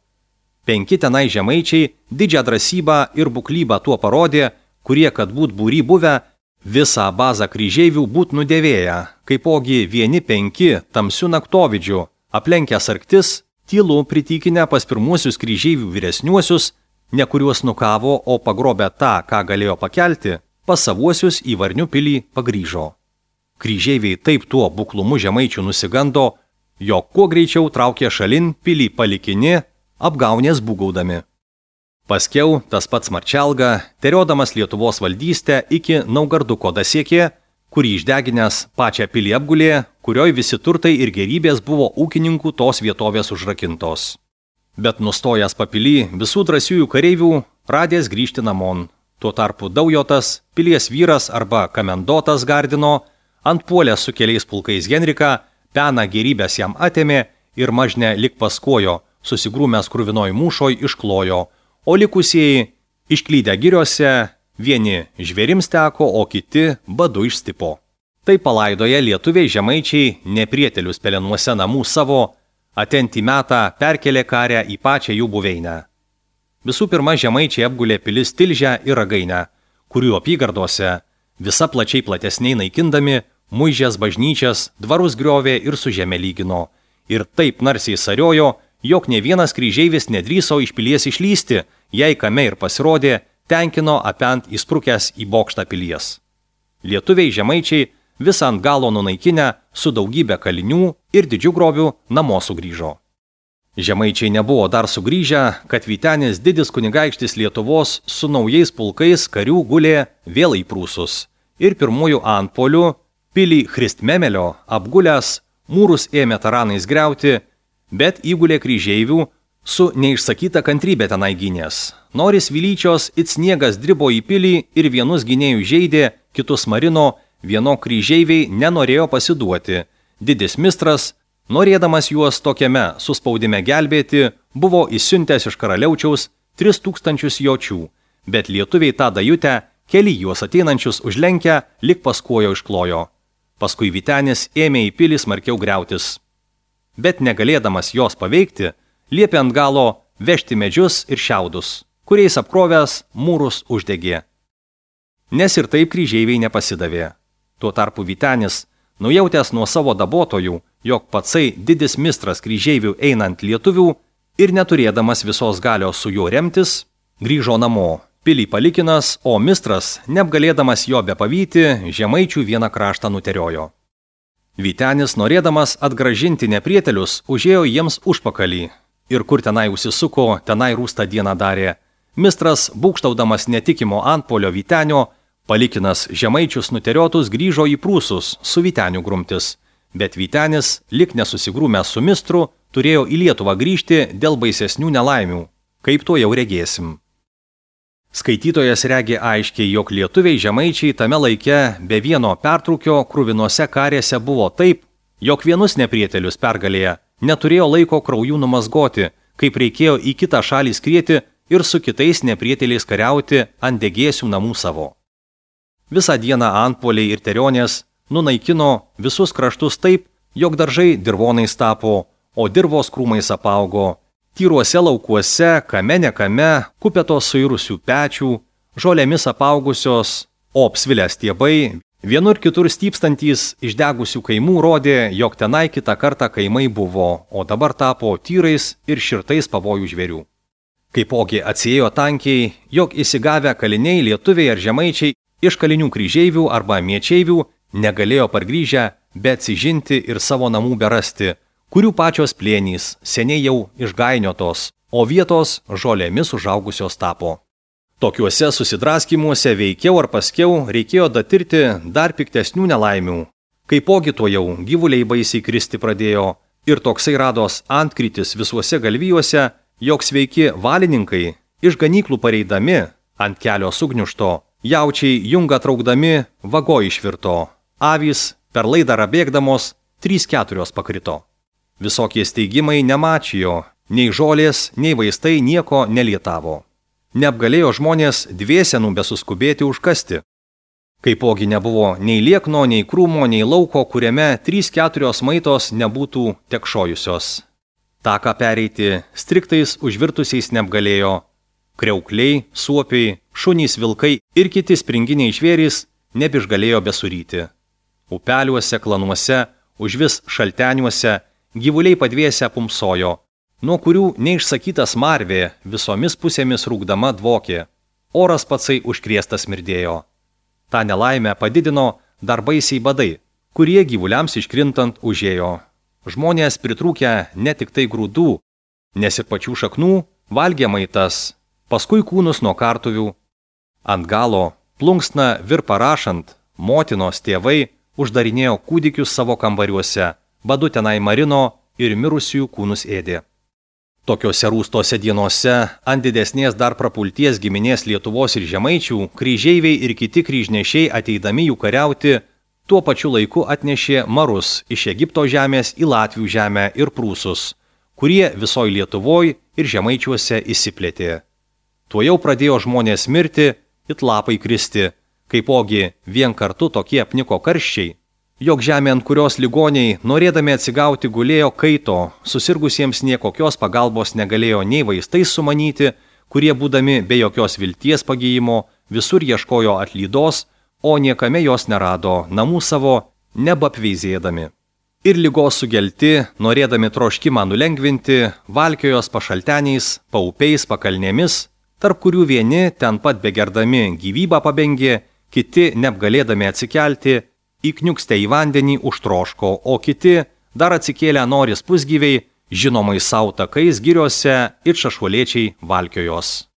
Penki tenai žemaičiai didžią drąsybą ir buklybą tuo parodė, kurie, kad būt būry buvę, visą Abazą kryžeivių būt nudėvėję, kaipogi vieni penki tamsių naktovidžių, aplenkęs arktis, tylu pritykinę pas pirmuosius kryžeivių vyresniuosius, ne kuriuos nukavo, o pagrobę tą, ką galėjo pakelti, pas savuosius į Varnių pilį pagrįžo. Kryžeiviai taip tuo buklumu žemaičių nusigando, jog kuo greičiau traukė šalin pilį palikini, apgaunės būgaudami. Paskiau tas pats Marčelga, teriodamas Lietuvos valdystę iki Naugarduko dasiekė, kurį išdeginęs pačią pilį apgulė, kurioj visi turtai ir gerybės buvo ūkininkų tos vietovės užrakintos. Bet nustojęs papilį visų drąsiųjų kareivių radęs grįžti namon. Tuo tarpu Daujotas, pilies vyras arba Kamendotas Gardino, ant puolės su keliais pulkais Henriką, peną gerybės jam atėmė ir mažne lik paskojo, susigrūmęs kruvinoj mūšoj išklojo, o likusieji išklydę giriose, vieni žvėrims teko, o kiti badu išstipo. Tai palaidoje lietuviai žemaičiai neprietelius pelenuose namų savo, atentį metą perkelė karę į pačią jų buveinę. Visų pirma, žemaičiai apgulė pilis Tilžę ir Ragainę, kurių apygardose, visa plačiai platesniai naikindami, muižės bažnyčias, dvarus griovė ir su žeme lygino. Ir taip narsiai sariojo, jog ne vienas kryžeivis nedrįso iš pilies išlysti, jei kame ir pasirodė, tenkino apent įsprukęs į bokštą pilies. Lietuviai žemaičiai visą ant galo nunaikinę su daugybė kalinių ir didžių grobių namo sugrįžo. Žemaičiai nebuvo dar sugrįžę, kad Vytenis didis kunigaikštis Lietuvos su naujais pulkais karių gulė vėl į Prūsus. Ir pirmųjų antpolių pilį Christmemelio apgulęs mūrus ėmė taranais griauti, bet įgulė kryžeivių su neišsakyta kantrybė tenai gynės. Noris Vilyčios it sniegas dribo į pilį ir vienus gynėjų žeidė, kitus marino, vieno kryžeiviai nenorėjo pasiduoti. Didis mistras Norėdamas juos tokiame suspaudime gelbėti, buvo įsiuntęs iš karaliaučiaus tris tūkstančius jočių, bet lietuviai tą dajutę keli juos ateinančius užlenkę, lik paskuojo išklojo. Paskui Vytenis ėmė į pilį smarkiau griautis. Bet negalėdamas jos paveikti, liepė ant galo vežti medžius ir šiaudus, kuriais apkrovęs mūrus uždegė. Nes ir taip kryžeiviai nepasidavė. Tuo tarpu Vytenis, nujautęs nuo savo dabotojų, jog patsai didis mistras kryžeivių einant lietuvių ir neturėdamas visos galios su juo remtis, grįžo namo, pilį palikinas, o mistras, neapgalėdamas jo bepavyti, žemaičių vieną kraštą nuteriojo. Vytenis, norėdamas atgražinti neprietelius, užėjo jiems užpakalį ir kur tenai užsisuko, tenai rūstą dieną darė. Mistras, būkštaudamas netikimo antpolio Vytenio, palikinas žemaičius nuteriotus grįžo į Prūsus su Vyteniu grumtis, bet Vytenis, lik nesusigrūmęs su mistru, turėjo į Lietuvą grįžti dėl baisesnių nelaimių, kaip to jau regėsim. Skaitytojas regi aiškiai, jog lietuviai žemaičiai tame laike be vieno pertrūkio kruvinose karėse buvo taip, jog vienus neprietelius pergalėje neturėjo laiko kraujų numazgoti, kaip reikėjo į kitą šalį skrieti ir su kitais neprieteliais kariauti ant degėsių namų savo. Visą dieną antpoliai ir terionės nunaikino visus kraštus taip, jog daržai dirvonais tapo, o dirvos krūmais apaugo. Tyruose laukuose, kame nekame, kupetos suirusių pečių, žolėmis apaugusios, o apsvilę stiebai, vienur kitur stypstantys išdegusių kaimų rodė, jog tenai kitą kartą kaimai buvo, o dabar tapo tyrais ir širtais pavojų žvėrių. Kaipogi atsiėjo tankiai, jog įsigavę kaliniai lietuviai ar žemaičiai iš kalinių kryžeivių arba miečeivių negalėjo pargrįžę, bet atsižinti ir savo namų berasti, kurių pačios plėnys seniai jau išgainiotos, o vietos žolėmis užaugusios tapo. Tokiuose susidraskimuose veikiau ar paskiau reikėjo datirti dar piktesnių nelaimių. Kaipogi to jau gyvuliai baisiai kristi pradėjo ir toksai rados antkrytis visuose galvijuose, jog sveiki valininkai iš ganyklų pareidami ant kelio sugniušto, jaučiai jungą traukdami vago išvirto, avys per laidarą bėgdamos trys keturios pakrito. Visokie steigimai nemačijo, nei žolės, nei vaistai nieko nelietavo. Neapgalėjo žmonės dviesenų besuskubėti užkasti. Kaipogi nebuvo nei liekno, nei krūmo, nei lauko, kuriame trys keturios maitos nebūtų tekšojusios. Taką pereiti striktais užvirtusiais neapgalėjo. Kriaukliai, suopiai, šunys, vilkai ir kiti springiniai žvėrys nebišgalėjo besuryti. Upeliuose, klanuose, užvis šalteniuose gyvuliai padviese pumsojo, nuo kurių neišsakytas marvė visomis pusėmis rūkdama dvokė. Oras patsai užkrėstas smirdėjo. Ta nelaimę padidino dar baisiai badai, kurie gyvuliams iškrintant užėjo. Žmonės pritrūkę ne tik tai grūdų, nes ir pačių šaknų valgė maitas, paskui kūnus nuo kartuvių. Ant galo, plunksna virpa rašant, motinos tėvai uždarinėjo kūdikius savo kambariuose, badu tenai marino ir mirusiųjų kūnus ėdė. Tokiose rūstose dienose ant didesnės dar prapulties giminės Lietuvos ir žemaičių kryžeiviai ir kiti kryžnešiai ateidami jų kariauti tuo pačiu laiku atnešė marus iš Egipto žemės į Latvių žemę ir Prūsus, kurie visoj Lietuvoj ir žemaičiuose įsiplėtė. Tuo jau pradėjo žmonės mirti, it lapai kristi, kaipogi vien kartu tokie apniko karščiai, jog žemė, ant kurios ligoniai, norėdami atsigauti, gulėjo kaito, susirgusiems niekokios pagalbos negalėjo nei vaistais sumanyti, kurie būdami be jokios vilties pagijimo, visur ieškojo atlydos, o niekame jos nerado, namų savo nebapveizėdami. Ir ligos sugelti, norėdami troškimą nulengvinti, valkiojos pašalteniais, paupiais, pakalnėmis, tarp kurių vieni ten pat begerdami gyvybą pabengė, kiti neapgalėdami atsikelti, įkniukste į vandenį užtroško, o kiti dar atsikėlę noris pusgyviai, žinomai savo takais giriuose ir šašuolėčiai valkiojos.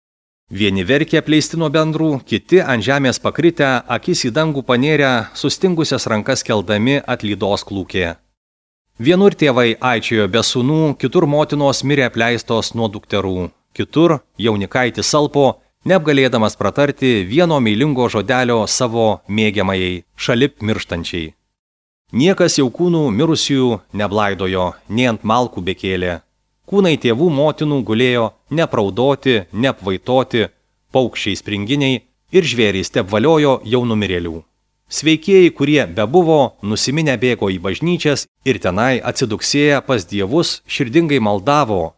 Vieni verkė apleisti nuo bendrų, kiti ant žemės pakritę, akis į dangų panėrę, sustingusias rankas keldami atlydos klūkė. Vienur tėvai aičiojo be sūnų, kitur motinos mirė apleistos nuo dukterų, kitur jaunikaitis salpo, neapgalėdamas pratarti vieno meilingo žodelio savo mėgiamajai, šalip mirštančiai. Niekas jau kūnų mirusiųjų neblaidojo, nei ant malkų bekėlė. Kūnai tėvų motinų gulėjo nepraudoti, neapvaitoti, paukščiai springiniai ir žvėrys teapvaliojo jau numirėlių. Sveikieji, kurie bebuvo, nusiminę bėgo į bažnyčias ir tenai atsiduksėję pas dievus širdingai maldavo.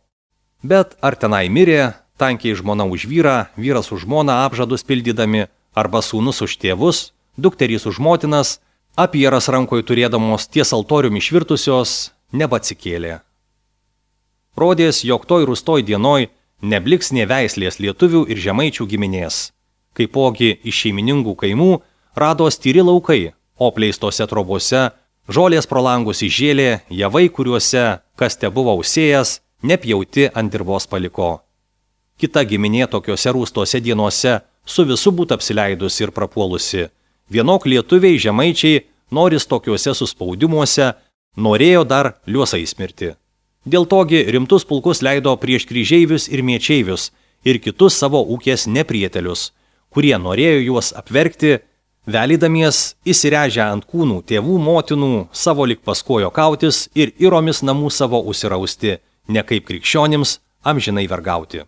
Bet ar tenai mirė, tankiai žmona už vyrą, vyras už žmoną apžadus pildydami, arba sūnus už tėvus, dukterys už motinas, apieras rankoje turėdamos ties altoriumi išvirtusios, nebatsikėlė. Rodės, jog toj rūstoj dienoj nebliks nė veislės lietuvių ir žemaičių giminės. Kaipogi iš šeimininkų kaimų rados tyri laukai, o pleistose trobose, žolės pro langus išžėlė, javai, kuriuose, kas te buvo užsėjęs, nepjauti ant dirvos paliko. Kita giminė tokiuose rūstose dienose su visu būt apsileidus ir prapuolusi. Vienok lietuviai žemaičiai, noris tokiuose suspaudimuose, norėjo dar liuosais mirti. Dėl togi rimtus pulkus leido prieš kryžeivius ir miečeivius ir kitus savo ūkės neprietelius, kurie norėjo juos apverkti, velydamies įsirežę ant kūnų tėvų motinų savo lik paskojo kautis ir iromis namų savo užsirausti, ne kaip krikščionims amžinai vergauti.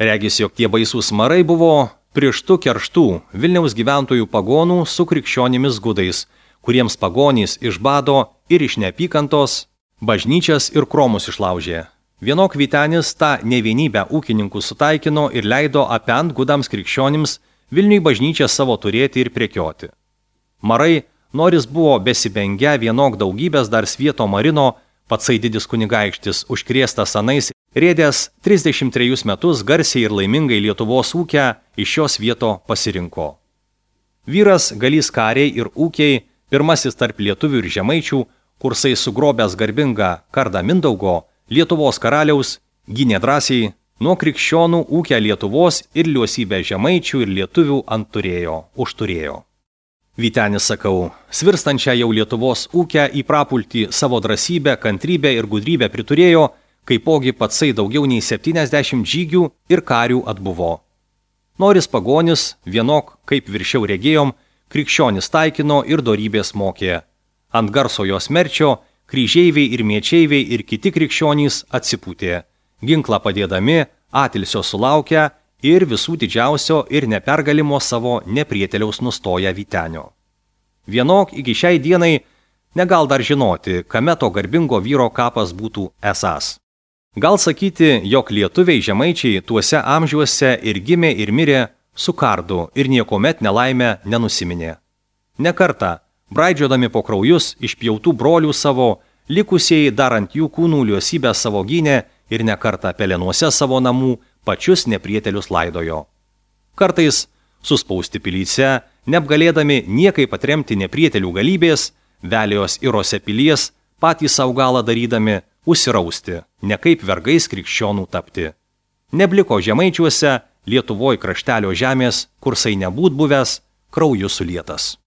Regis, jog tie baisūs marai buvo prieštų kerštų Vilniaus gyventojų pagonų su krikščionimis gudais, kuriems pagonys iš bado ir iš neapykantos bažnyčias ir kromus išlaužė. Vienok Vytenis tą nevienybę ūkininkų sutaikino ir leido apent gudams krikščionims Vilniui bažnyčią savo turėti ir prekioti. Marai, noris buvo besibengę vienok daugybės dar svieto marino, patsai didis kunigaikštis užkrėstas anais, rėdęs trisdešimt trejus metus garsiai ir laimingai Lietuvos ūkę iš šios vieto pasirinko. Vyras galys kariai ir ūkiai, pirmasis tarp lietuvių ir žemaičių, kursai sugrobęs garbingą kardą Mindaugo, Lietuvos karaliaus, gynė drąsiai, nuo krikščionų ūkę Lietuvos ir liuosybę žemaičių ir lietuvių ant turėjo, užturėjo. Vytenis, sakau, svirstančią jau Lietuvos ūkę į prapultį savo drąsybę, kantrybę ir gudrybę priturėjo, kaipogi patsai daugiau nei septyniasdešimt žygių ir karių atbuvo. Noris pagonis, vienok, kaip viršiau regėjom, krikščionis taikino ir dorybės mokė. Ant garsojo smerčio kryžeiviai ir miečeiviai ir kiti krikščionys atsipūtė, ginklą padėdami, atilsio sulaukę ir visų didžiausio ir nepergalimo savo neprieteliaus nustoja Vytenio. Vienok iki šiai dienai negal dar žinoti, kame to garbingo vyro kapas būtų esąs. Gal sakyti, jog lietuviai žemaičiai tuose amžiuose ir gimė ir mirė su kardu ir niekomet nelaimę nenusiminė. Ne kartą, braidžiodami po kraujus išpjautų brolių savo, likusieji dar ant jų kūnų liuosybę savo gynė ir ne kartą pelenuose savo namų pačius neprietelius laidojo. Kartais, suspausti pilyse, neapgalėdami niekai patremti neprietelių galybės, velijos irose pilies, patys savo galą darydami, užsirausti, ne kaip vergais krikščionų tapti. Nebliko žemaičiuose, Lietuvoj kraštelio žemės, kursai nebūt buvęs, krauju sulietas.